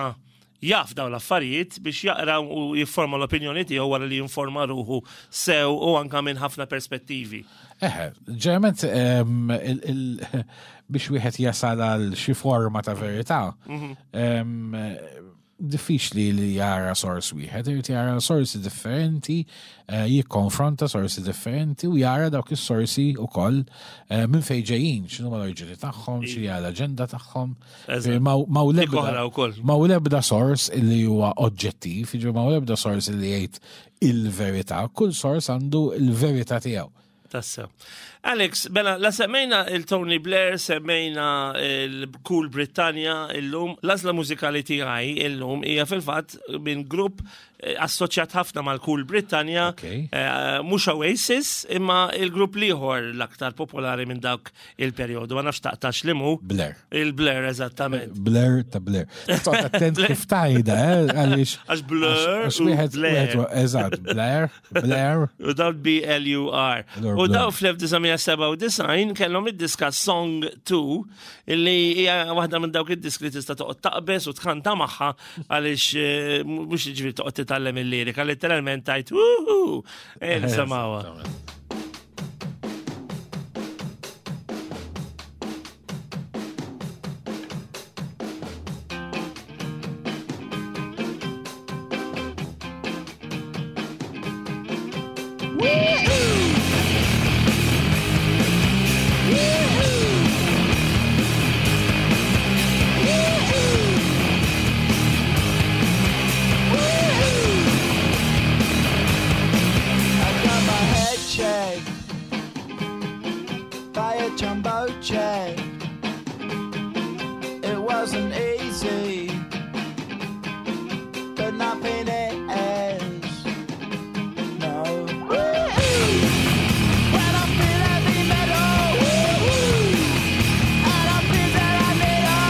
jaf dawn l-affarijiet biex jaqraw u jifforma l-opinjoni tiegħu wara li jinforma ruħu sew u anka minn ħafna perspettivi. Eħe, ġeneralment biex wieħed jasal għal xi forma ta' verità, diffiċli li jara sors wieħed, irid jara sorsi differenti, jikkonfronta sorsi differenti u jara dawk is-sorsi wkoll minn fejn ġejjin, x'inhuma l-oriġini tagħhom, x'hija l-aġenda tagħhom. Ma hu Dik oħra wkoll. hu l-ebda sors li huwa oġġettiv, jiġifieri ma hu l-ebda sors li jgħid il-verità, kull sors għandu il-verità tiegħu. Tassew. Alex, bela, la semmejna il-Tony Blair, semmejna il-Cool Britannia illum, l-għażla mużikali tiegħi illum hija fil-fatt minn grupp assoċjat ħafna mal-Cool Britannia, mhux Oasis, imma il-grupp l-ieħor l-aktar popolari minn dawk il-perjodu. Ma nafx taqtax li mu. Blair. Il-Blair, eżattament. Blair ta' Blair. Toqgħod attent kif tajda, għaliex Għax Blur għax u wieħed Blair. wieħed eżatt, Blair, Blair. U dawn B-L-U-R. Blur, U Blur. dawn fl-1997 kellhom id-diska Song 2, illi hija waħda minn dawk id-diski li tista' toqgħod taqbeż u tkanta magħha għaliex mhux jiġifieri toqgħod titgħallem il-lirika, letteralment tgħid wuhu, nisimgħuha. Jumbo jet. It wasn't easy, but nothing is. No. When I feel heavy metal, and I feel that I need a,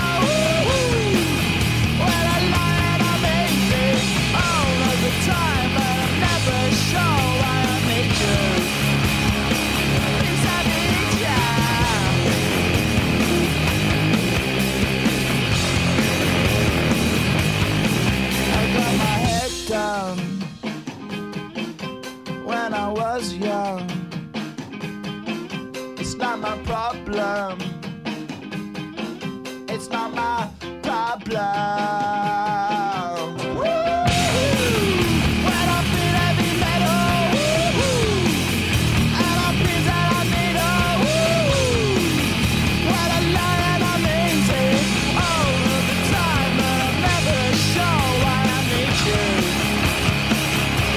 when I lie and I'm easy all of the time, but I'm never sure why I need you. Please, I need you. I got my head down when I was young. It's not my problem. It's not my problem. When I feel heavy metal, and I feel that I need a woo. When I lie and I'm easy all of the time, but I'm never sure why I need you.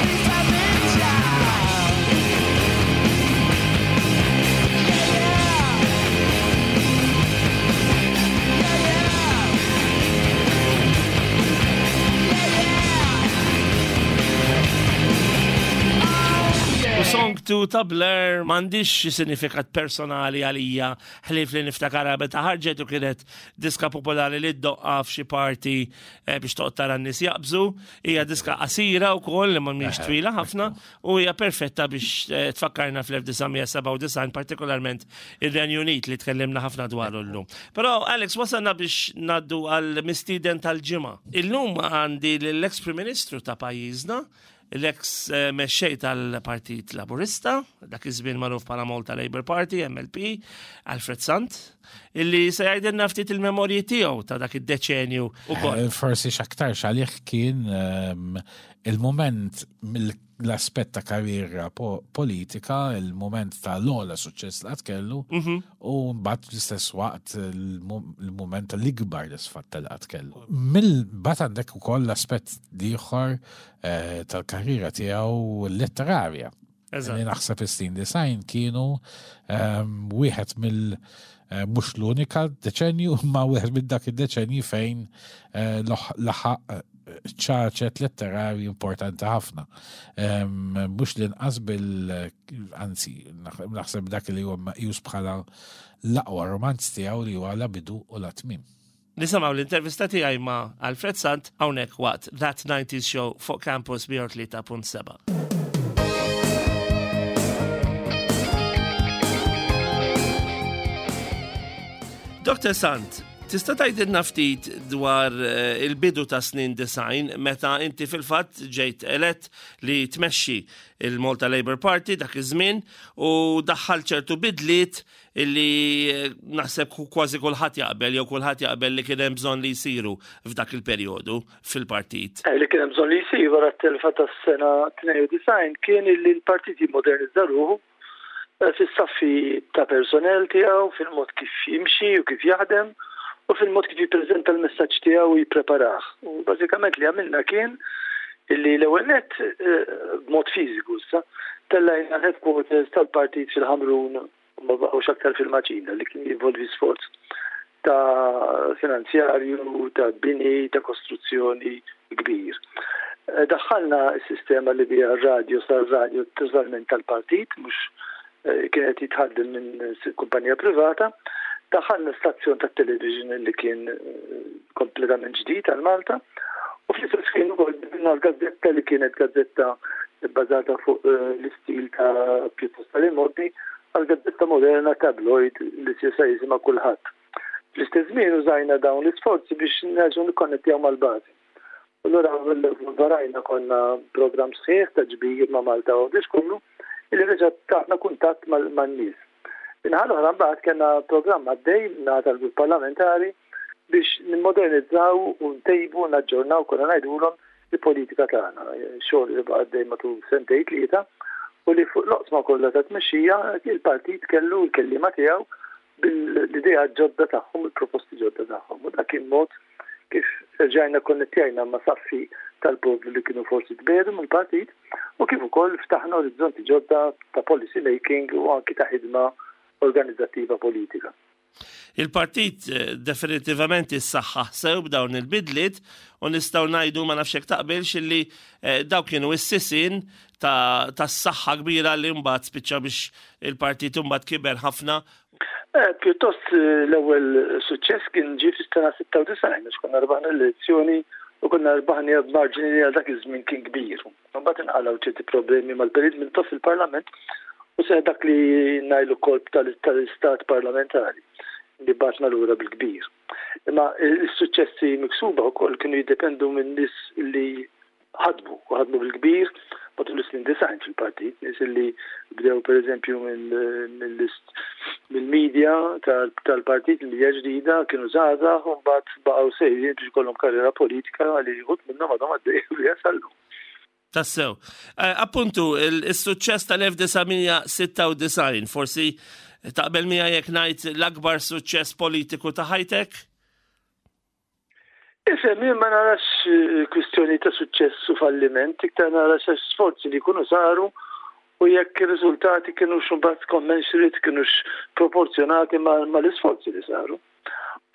Please, I need you. Yeah, yeah. You ta' Blur m'għandix xi sinifikat personali għalija ħlief li niftakarha meta ħarġet u kienet diska popolari li ddoqqa f'xi party eh, biex toqgħod tara n-nies jaqbżu. Hija diska qasira wkoll li ma mhix twila ħafna u hija perfetta biex eh, tfakkarna fl-1997 partikolarment ir-Renju Unit li tkellimna ħafna dwaru llum. Però Alex wasalna biex ngħaddu għal mistieden tal-ġimgħa. Illum għandi l-ex Prim Ministru ta' pajjiżna, l-eks eh, mexxej tal-Partit Laburista, dak iż-żmien magħruf bħala Malta Labour Party, MLP, Alfred Sant, illi se jgħidilna ftit il-memorji tiegħu ta' dak id-deċenju ukoll. Eh, forsi x'aktarx għalih kien ehm, il-moment mill-aspett ta' karriera politika, il-moment ta' l-ogħla suċċess li qatt kellu, mhm. U mbagħad fl-istess waqt il-mument tal-ikbar disfatta li qatt kellu. Mill-bat għandek ukoll l-aspett ieħor eh, tal-karriera tiegħu letterarja. Li naħseb is-snin design kienu ehm, wieħed mill- eh, mhux l-unika deċenju, ma wieħed minn dak id-deċenji fejn eh, laħaq ċaċet letterarji importanti ħafna. Mhux l-inqas bil anzi, naħseb dak li huwa meqjus bħala l-aqwa romanz tiegħu li huwa la bidu u la tmiem. Nisimgħu l-intervista tiegħi ma' Alfred Sant hawnhekk waqt That 90s Show fuq Campus 103.7. Dr. Sant, tista' tgħidilna ftit dwar eh, il-bidu ta' snin design meta inti fil-fatt ġejt elett li tmexxi il-Malta Labour Party dak iż-żmien u daħħal ċertu bidliet illi eh, naħseb kważi kulħadd jaqbel jew kulħadd jaqbel li kien hemm bżonn li jsiru f'dak il-perjodu fil-partit. Eh, li kien hemm bżonn li jsiru wara t-telfa tas-sena 92 kien illi l-partit jimmodernizza ruħu eh, fis-saffi ta' personel tiegħu, fil-mod kif jimxi u kif jaħdem u fil-mod kif jippreżenta l-messaġġ tiegħu u jippreparah. U bażikament li għamilna kien illi l-ewwel nett eh, b'mod fiżiku issa tellajna l-headquarters tal-partit fil-Ħamrun u ma baqgħux aktar fil-Maċina li kien jinvolvi sforz ta' finanzjarju, ta' bini, ta' kostruzzjoni kbir. Eh, daħħalna s-sistema li biha r-radju sar radju totalment tal-partit, mhux eh, kienet jitħaddem minn kumpanija privata. Daħħalna stazzjon ta' television li kien eh, kompletament ġdid għal Malta. U fl-istess ħin ukoll bidilna l-gazzetta li kienet gazzetta bbażata fuq eh, l-istil ta' pjuttost tal-immoddi għal gazzetta moderna tabloid li s'issa jisimha kulħadd. Fl-istess żmien użajna dawn l-isforzi biex nerġgħu nikkonnettjaw mal-bażi. U allura varajna konna programm sħiħ ta' ġbir ma' Malta u Għawdex kollu illi reġa' tatna kuntatt man-nies. Min-naħa l-oħra mbagħad kellna programm għaddej min-naħa tal-grupp parlamentari biex nimmodernizzaw u ntejbu u naġġornaw konna ngħidulhom il-politika tagħna. Xogħol li baqa' għaddej matul sentejn tlieta u li fuq l-oqsma kollha ta' tmexxija il-partit kellu l-kelliema tiegħu bil-ideat ġodda tagħhom, il-proposti ġodda tagħhom. U dak kien mod kif erġajna konnettjajna ma' saffi tal-poplu li kienu forsi tbiegħdu mill-partit u kif ukoll ftaħna orizzonti ġodda ta' policy making u anki ta' ħidma organizzattiva politika. Il-partit eh, definitivament issaħħaħ sew b'dawn il-bidliet u nistgħu ngħidu ma nafx hekk taqbilx illi eh, dawk kienu s-sisien tas-saħħa kbira li mbagħad spiċċa biex il-partit imbagħad kiber ħafna. Eh, pjuttost eh, l-ewwel suċċess kien ġie fis-sena 96 għax konna rbaħna l-elezzjoni u konna rbaħni b'marġini li għal dak iż-żmien kien kbir. Mbagħad inqalgħu ċerti problemi mal-perit minn tof fil-Parlament u seħ dak li ngħidu kolb tal-istat parlamentari li batna lura bil-kbir. Imma s-suċċessi miksuba wkoll kienu jiddependu minn nies li ħadmu u ħadmu bil-kbir matul is-snin 90 fil-partit, nies li bdew pereżempju mill-media tal-partit, il-media ġdida, kienu żgħażagħ u mbagħad baqgħu sejrin biex ikollhom karriera politika li wħud minnhom għadhom għaddejjin biha sal-lum. Tassew. Eh, appuntu, il-suċċess tal-1996, forsi taqbel miegħi jekk ngħid l-akbar suċċess politiku ta' ħajtek? Ifhem, jien ma narax eh, kwistjoni ta' suċċess u falliment, iktar nara sforzi li jkunu saru u jekk ir-riżultati kienux imbagħad commensurate, kienux proporzjonati mal-isforzi li saru.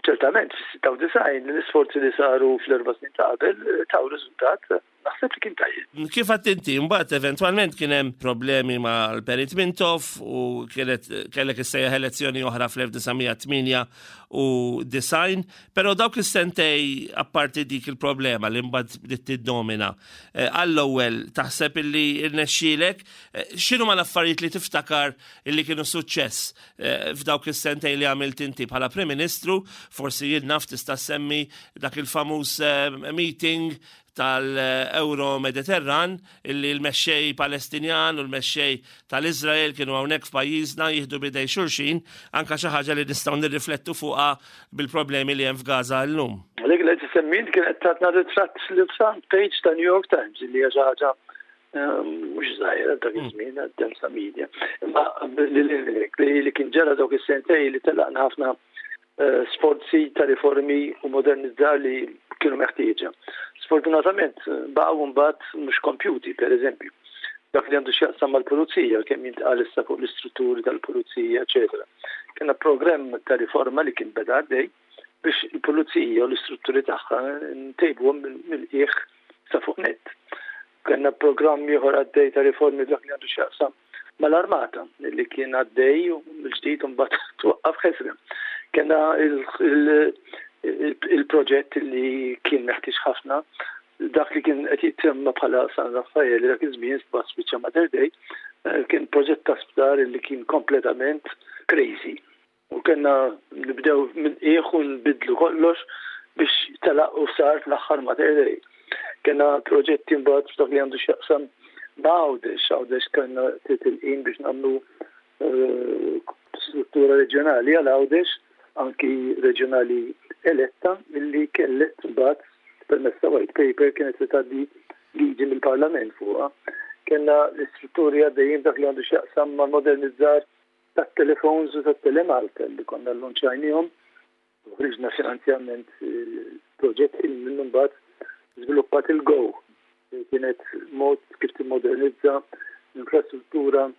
Ċertament, fis-96 l-isforzi li saru fl-erba' snin ta' qabel eh, taw riżultat. Naħseb li kien tajjeb. Kif għedt inti, mbagħad eventwalment kien hemm problemi mal-Perit Mintoff u kienet kellek issejjaħ elezzjoni oħra fl-1998, però dawk is-sentej apparti dik il-problema li mbagħad bdiet tiddomina. Eh, għall-ewwel taħseb illi rnexxielek, eh, x'inhuma l-affarijiet li tiftakar illi kienu suċċess eh, f'dawk is-sentej li għamilt inti bħala Prim Ministru, forsi jien naf tista' semmi dak il-famuż meeting tal-Euro Mediterran illi l-mexxej Palestinjan u l-mexxej tal-Izrael kienu hawnhekk f'pajjiżna jieħdu b'idejn xulxin, anka xi ħaġa li nistgħu nirriflettu fuqha bil-problemi li hemm f'Gaza llum. Dik li qed semmint kienet tatna ritratt fil-front page ta' New York Times illi hija xi ħaġa mhux żgħira dak iż-żmien għad media. Imma li kien ġara dawk is-sentej li telaqna ħafna sforzi ta' riformi u modernizzar li kienu meħtieġa. Sfortunatament, baqgħu mbagħad mhux kompjuti, per eżempju. Dak li għandu x'jaqsam mal-pulizija, kemm jintqal issa fuq l-istrutturi tal-pulizija, eċetera. Kellna programm ta' riforma li kien beda għaddej biex il-pulizija u l-istrutturi tagħha ntejbuhom mill-qiegħ sa fuq net. Kellna programm ieħor għaddej ta' riformi dak li għandu x'jaqsam mal-armata li kien għaddej u mill-ġdid mbagħad twaqqaf ħesrem. Kellna il-proġett li kien meħtieġ ħafna dak li kien qed jitsemma bħala San Raffaele dak iż-żmien mbagħad spiċċa Mater Dei, kien proġett ta' sptar li kien kompletament crazy. U kellna nibdew minn qiegħ u nbidlu kollox biex telaq u sar fl-aħħar Mater Dei. Kellna proġetti mbagħad f'dak li għandu x'jaqsam ma' Għawdex, Għawdex kellna titilqin biex nagħmlu struttura reġjonali għal Għawdex, anki reġjonali eletta illi kellet mbagħad permezz ta' white paper kienet se tgħaddi liġi mill-Parlament fuqha. Kellna l-istrutturi għaddejjin dak li għandu x'jaqsam mal-modernizzar tat-telefons u tat-Telemalta li konna llunċajniehom u ħriġna finanzjament proġetti li minnu mbagħad żviluppat il-Go li kienet mod kif timmodernizza l-infrastruttura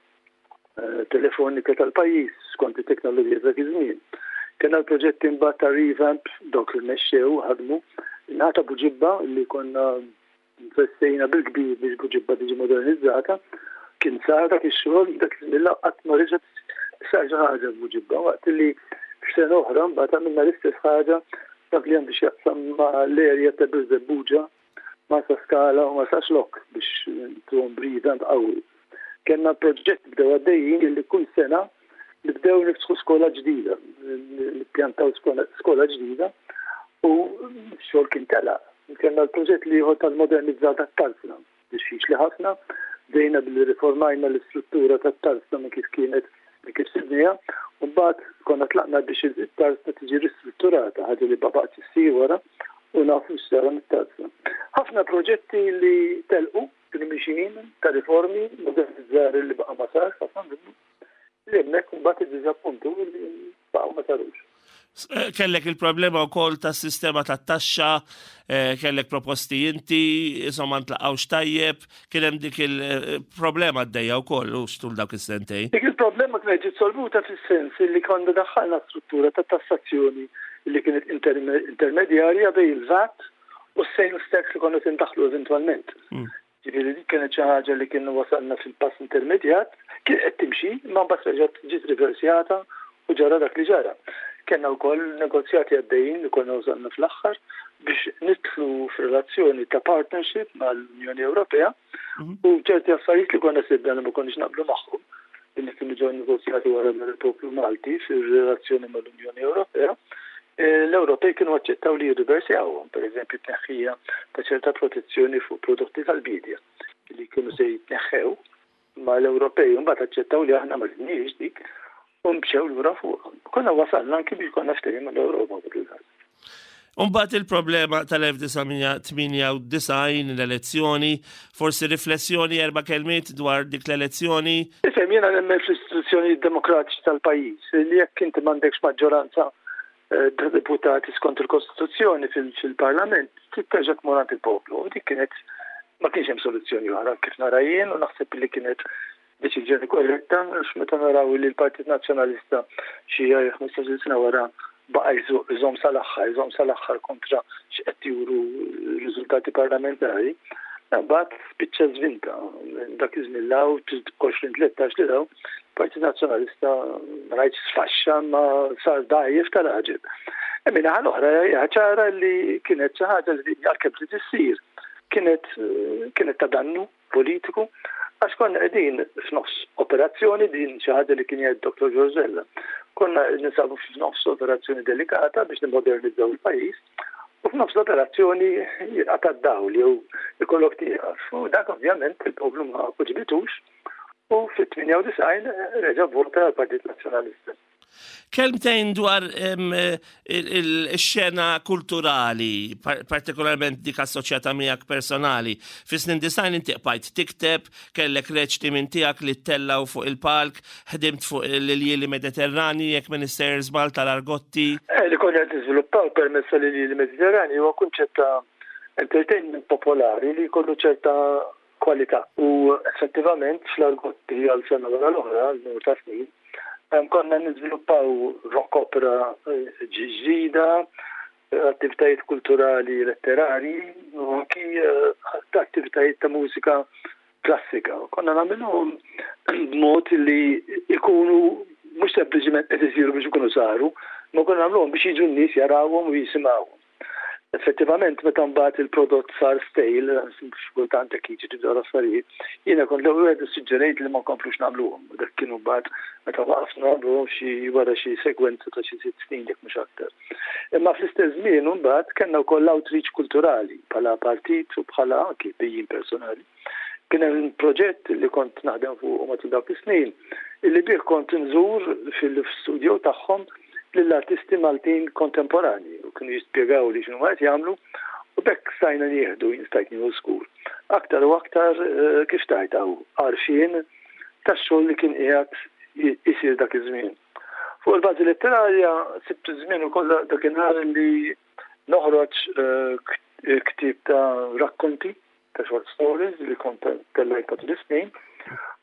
telefonika tal-pajjiż skont it-teknoloġija ta' dak iż-żmien. Kellna l-proġetti mbagħad ta' revamp dawk li mexxew ħadmu ngħata Buġibba li konna Investejna bil-kbir biex Buġibba tiġi modernizzata. Kien sar dak ix-xogħol, dak iż-żmien qatt ma reġgħet sar xi ħaġa f'Buġibba, waqt li f'sena oħra mbagħad għamilna l-istess ħaġa dak li għandu x'jaqsam ma' l-area ta' Birżebbuġa, Marsaskala u Marsaxlokk biex ntuhom revamp qawwi. Kellna proġett bdew għaddejjin li kull sena nibdew niftħu skola ġdida, nippjantaw skola ġdida u x-xogħol kien telaq. Kellna l-proġett l-ieħor tal-modernizzar tat-tarzna, diffiċli ħafna, bdejna billi riformajna l-istruttura tat-tarzna minn kif kienet minn kif sibniha, u mbagħad konna tlaqna biex it-tarzna tiġi ristrutturata, ħaġa li ma baqgħetx issir wara u nafu x'sara mit-tarzna. Ħafna proġetti li telqu kienu mixjin ta' riformi, modernizzar li baqa' ma sarx ħafna minnu. Li hemmhekk imbagħad iddiżappuntu li baqgħu ma sarux. Kellek il-problema wkoll tas-sistema tat-taxxa, kellek proposti inti, insomma ntlaqgħux tajjeb, kien hemm dik il-problema għaddejja wkoll u xtul dawk is-sentejn. Dik il-problema kienet ġiet solvuta fis-sens li konna daħħalna struttura ta' tassazzjoni li kienet intermedjarja bejn il-VAT u s-sales tax li konna se ndaħħlu eventwalment. Ġifieri dik kienet xi ħaġa li kienu wasalna fil-pass intermedjat, kien qed timxi, imma mbagħad reġgħet ġiet riversjata u ġara dak li ġara. Kellna wkoll negozjati għaddejjin li konna wasalna fl-aħħar biex nidħlu f'relazzjoni ta' partnership mal-Unjoni Ewropea u ċerti affarijiet li konna sibna li ma konniex naqblu magħhom li kienu ġew negozjati wara mill-poplu Malti fir-relazzjoni mal-Unjoni Ewropea, l-Ewropej kienu aċċettaw li jirriversjawhom, pereżempju t-tneħħija ta' ċerta protezzjoni fuq prodotti tal-biedja li kienu se jitneħħew, ma l-Ewropej mbagħad aċċettaw li aħna ma ridniex dik u mxew lura fuqha. Konna wasalna anki biex konna ftehim mal-Ewropa fuq il-każ. Umbagħad il-problema tal-1998 l-elezzjoni, forsi riflessjoni erba' kelmiet dwar dik l-elezzjoni. Ifhem, jiena nemmen fl-istituzzjonijiet demokratiċi tal-pajjiż li jekk inti m'għandekx maġġoranza ta' deputati skont il-Kostituzzjoni fil-Parlament, trid terġa' tmur għand il-poplu. U dik kienet ma kienx hemm soluzzjoni oħra kif nara jien u naħseb li kienet deċiżjoni korretta għax meta naraw li l-Partit Nazzjonalista xi 15-il sena wara baqa' jżomm sal-aħħar, jżomm sal-aħħar kontra x'qed juru r-riżultati parlamentari. Imbagħad spiċċa żvinta minn dak iż-żmien 'l hawn, 20 13 lil hawn, il-Partit Nazzjonalista ma ngħidx sfaxxa imma sar dgħajjef tal-għaġeb. Min-naħa l-oħra hija ċara li kienet xi ħaġa li għalkemm trid issir kienet kienet ta' dannu politiku għax konna qegħdin f'nofs operazzjoni din xi ħaġa li kien jgħid Dr. George Vella. Konna ninsabu f'nofs operazzjoni delikata biex nimmodernizzaw il-pajjiż u f'nofs l-operazzjoni jinqata' d-dawl jew ikollok tieqaf. U dak ovvjament il-poplu ma għoġbitux u fit-98 reġa' vvota għall-Partit Nazzjonalista. Kelmtejn dwar il-xena kulturali, partikolarment dik assoċjata miegħek personali. Fis-snin disajn inti qbajt tikteb, kellek reċti minn tiegħek li ttellaw fuq il-palk, ħdimt fuq l-iljieli Mediterrani, jekk m'iniex sejjer żball tal-Argotti. Eh, li konna qed niżviluppaw permezz tal-iljieli Mediterrani huwa kunċett ta' entertainment popolari li jkollu ċerta kwalità. U effettivament fl-Argotti għal sena wara l-oħra, għal numru ta' snin, konna niżviluppaw rock opera eh, ġdida, attivitajiet kulturali letterari u anki eh, attivitajiet ta' mużika klassika. Konna nagħmluhom b'mod li ikunu mhux sempliċiment qed isiru biex ikunu saru, ma konna nagħmluhom biex jiġu n-nies jarawhom u jisimgħuhom. Effettivament meta mbagħad il-prodott sar stale, xi kultant hekk jiġri dawn l-affarijiet, jiena kont l-ewwel wieħed issuġġerejt li ma nkomplux nagħmluhom. Dak kienu mbagħad meta waqafna nagħmluhom xi wara xi sekwenza ta' xi sitt snin jekk mhux aktar. Imma fl-istess żmien mbagħad kellna wkoll outreach kulturali bħala partit u bħala anki bijin personali. Kien hemm proġett li kont naħdem fuq matul dawk is-snin illi bih kont nżur fil-studio tagħhom lill-artisti Maltin kontemporani u kienu jispjegaw li x'inhu qed jagħmlu u b'hekk stajna nieħdu, jien stajt nieħu żgur. Aktar u aktar eh, kif tajt għarfien tax-xogħol li kien qiegħed isir dak iż-żmien. Fuq il-bażi letterarja sibt iż-żmien ukoll dakinhar li noħroġ eh, ktieb ta' rakkonti ta' short stories li kont tellajt matul is-snin.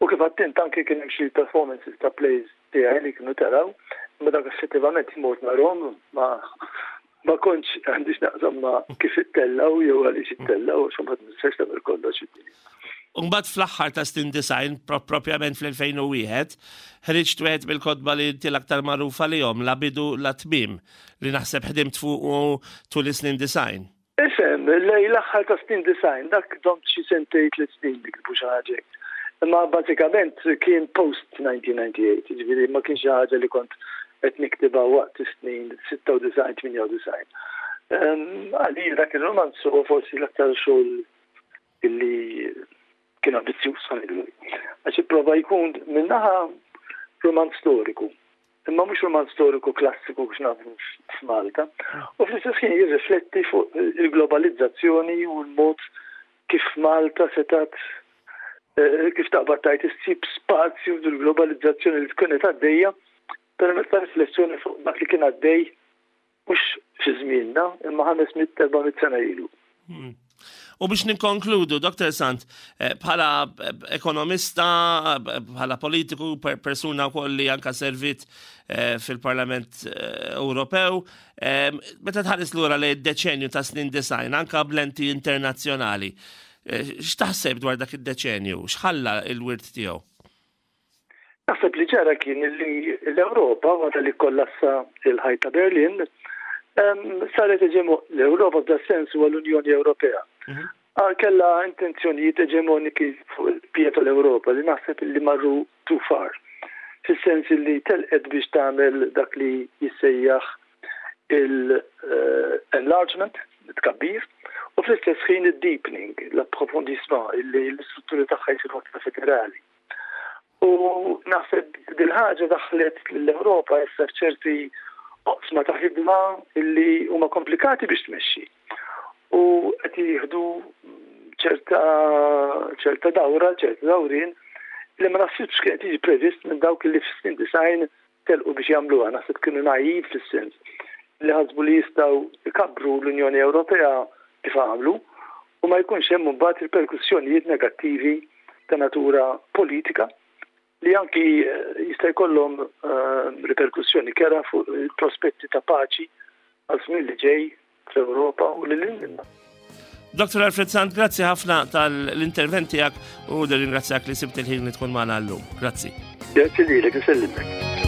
U kif għedt anki kien hemm xi performances ta' plays tiegħi li kienu taraw, imma dak effettivament mort narahom ma ma kontx għandix naqsam ma kif ittellaw jew għaliex ittellaw għax ma nistax tagħmel kollox id-dinja. Umbagħad fl-aħħar ta' snin disgħin, propjament fl-2001, ħriġt wieħed mill-kotba li inti l-aktar magħrufa lihom, La Bidu La Tmiem, li naħseb ħdimt fuq tul is-snin 90. Ifhem, lejn l-aħħar ta' snin 90, dak domt xi sentejn 3 snin nikbu xi ħaġa. Imma bażikament kien post 1998, jiġifieri ma kienx xi ħaġa li kont qed niktibha waqt is-snin 96 98. Għalija dak ir-romanz huwa forsi l-aktar xogħol illi kien ambizzjuż ngħidu. Għax ipprova jkun minnaħa romanz storiku, imma mhux romanz storiku klassiku biex nafu f'Malta. U fl-istess ħin jirrifletti fuq il-globalizzazzjoni u l-mod kif Malta setat eh, kif taqbad tajt issib spazju fil-globalizzazzjoni li tkun qed għaddejja permezz ta' riflessjoni fuq dak li kien għaddej mhux fi żmienna imma 500-400 sena ilu. U biex ninkonkludu, Dr. Sant, eh, bħala eh, ekonomista, eh, bħala politiku, persuna wkoll li anka servit fil-Parlament Ewropew, meta tħares lura li d-deċenju ta' snin 90, anka b'lenti internazzjonali, x'taħseb dwar dak id-deċenju? X'ħalla il-wirt tiegħu? Naħseb li ġara kien li l-Ewropa wara li kollassa il-ħajt ta' Berlin saret eġemo l-Ewropa f'da sens huwa l-Unjoni Ewropea. Ah, Kella intenzjonijiet eġemoniki fuq il-bqija tal-Ewropa li naħseb li marru too far. Fis-sens li telqet biex tagħmel dak li jissejjaħ il-enlargement, tkabbir, u fl-istess ħin il-deepening, l-approfondissement, illi l-istrutturi tagħha jsiru aktar federali. U naħseb dil-ħaġa daħlet l-Ewropa issa f'ċerti oqsma ta' ħidma illi huma komplikati biex tmexxi. U qed jieħdu ċerta ċerta dawra, ċerta dawrin li ma naħsibx kien qed jiġi previst minn dawk li fis-snin 90 telqu biex jagħmluha, naħseb kienu naiv fis-sens li ħasbu li jistgħu ikabbru l-Unjoni Ewropea kif għamlu u ma jkunx hemm imbagħad riperkussjonijiet negattivi ta' natura politika li anki eh, jista' jkollhom eh, riperkussjoni kerha fuq il-prospetti ta' paċi għal żmien li ġej fl-Ewropa u lil hinn minnha. Dr. Alfred Sant, grazzi ħafna tal-intervent tiegħek u nirringrazzjak li sibt il-ħin li tkun magħna llum. Grazzi. Grazzi lilek, insellimlek.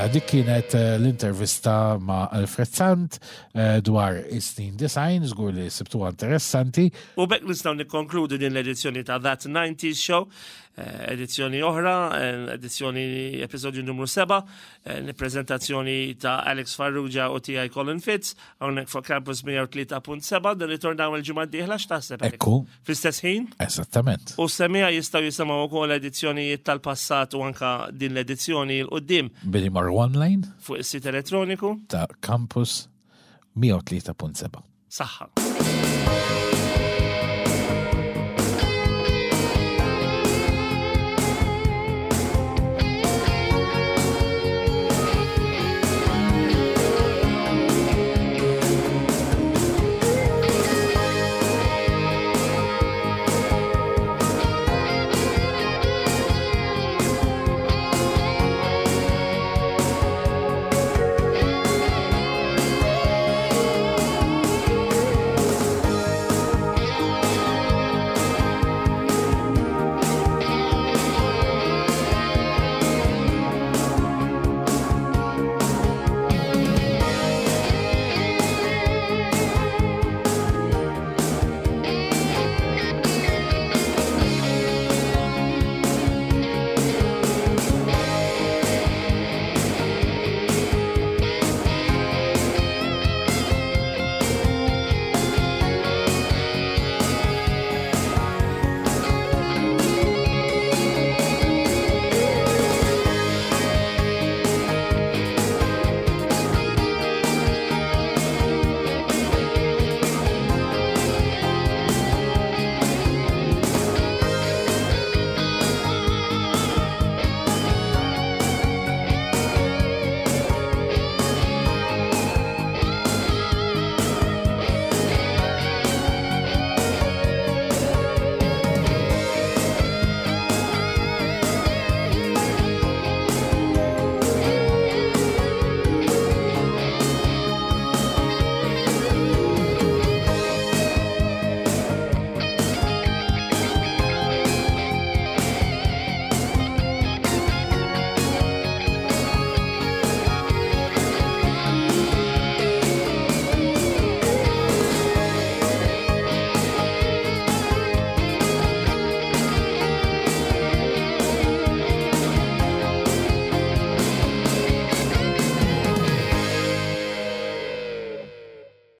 Mela, dik kienet eh, l-intervista ma' Alfred Sant eh, dwar is-snin design, żgur li sibtuha interessanti. U bekk nistgħu nikkonkludu din l-edizzjoni ta' That 90s Show, eh, edizzjoni oħra, edizzjoni episodju numru 7, prezentazzjoni ta' Alex Farrugia u tiegħi Colin Fitz, hawnhekk fuq Campus 103.7, nirritornaw il-ġimgħa d-dieħla x'taħseb? Ekku. Fl-istess ħin? Eżattament. U semija jistgħu jisimgħu wkoll edizzjonijiet tal-passat u anka din l-edizzjoni l qudiem Billi marru online fuq is-sit elettroniku ta' Campus 103.7. Saħħa.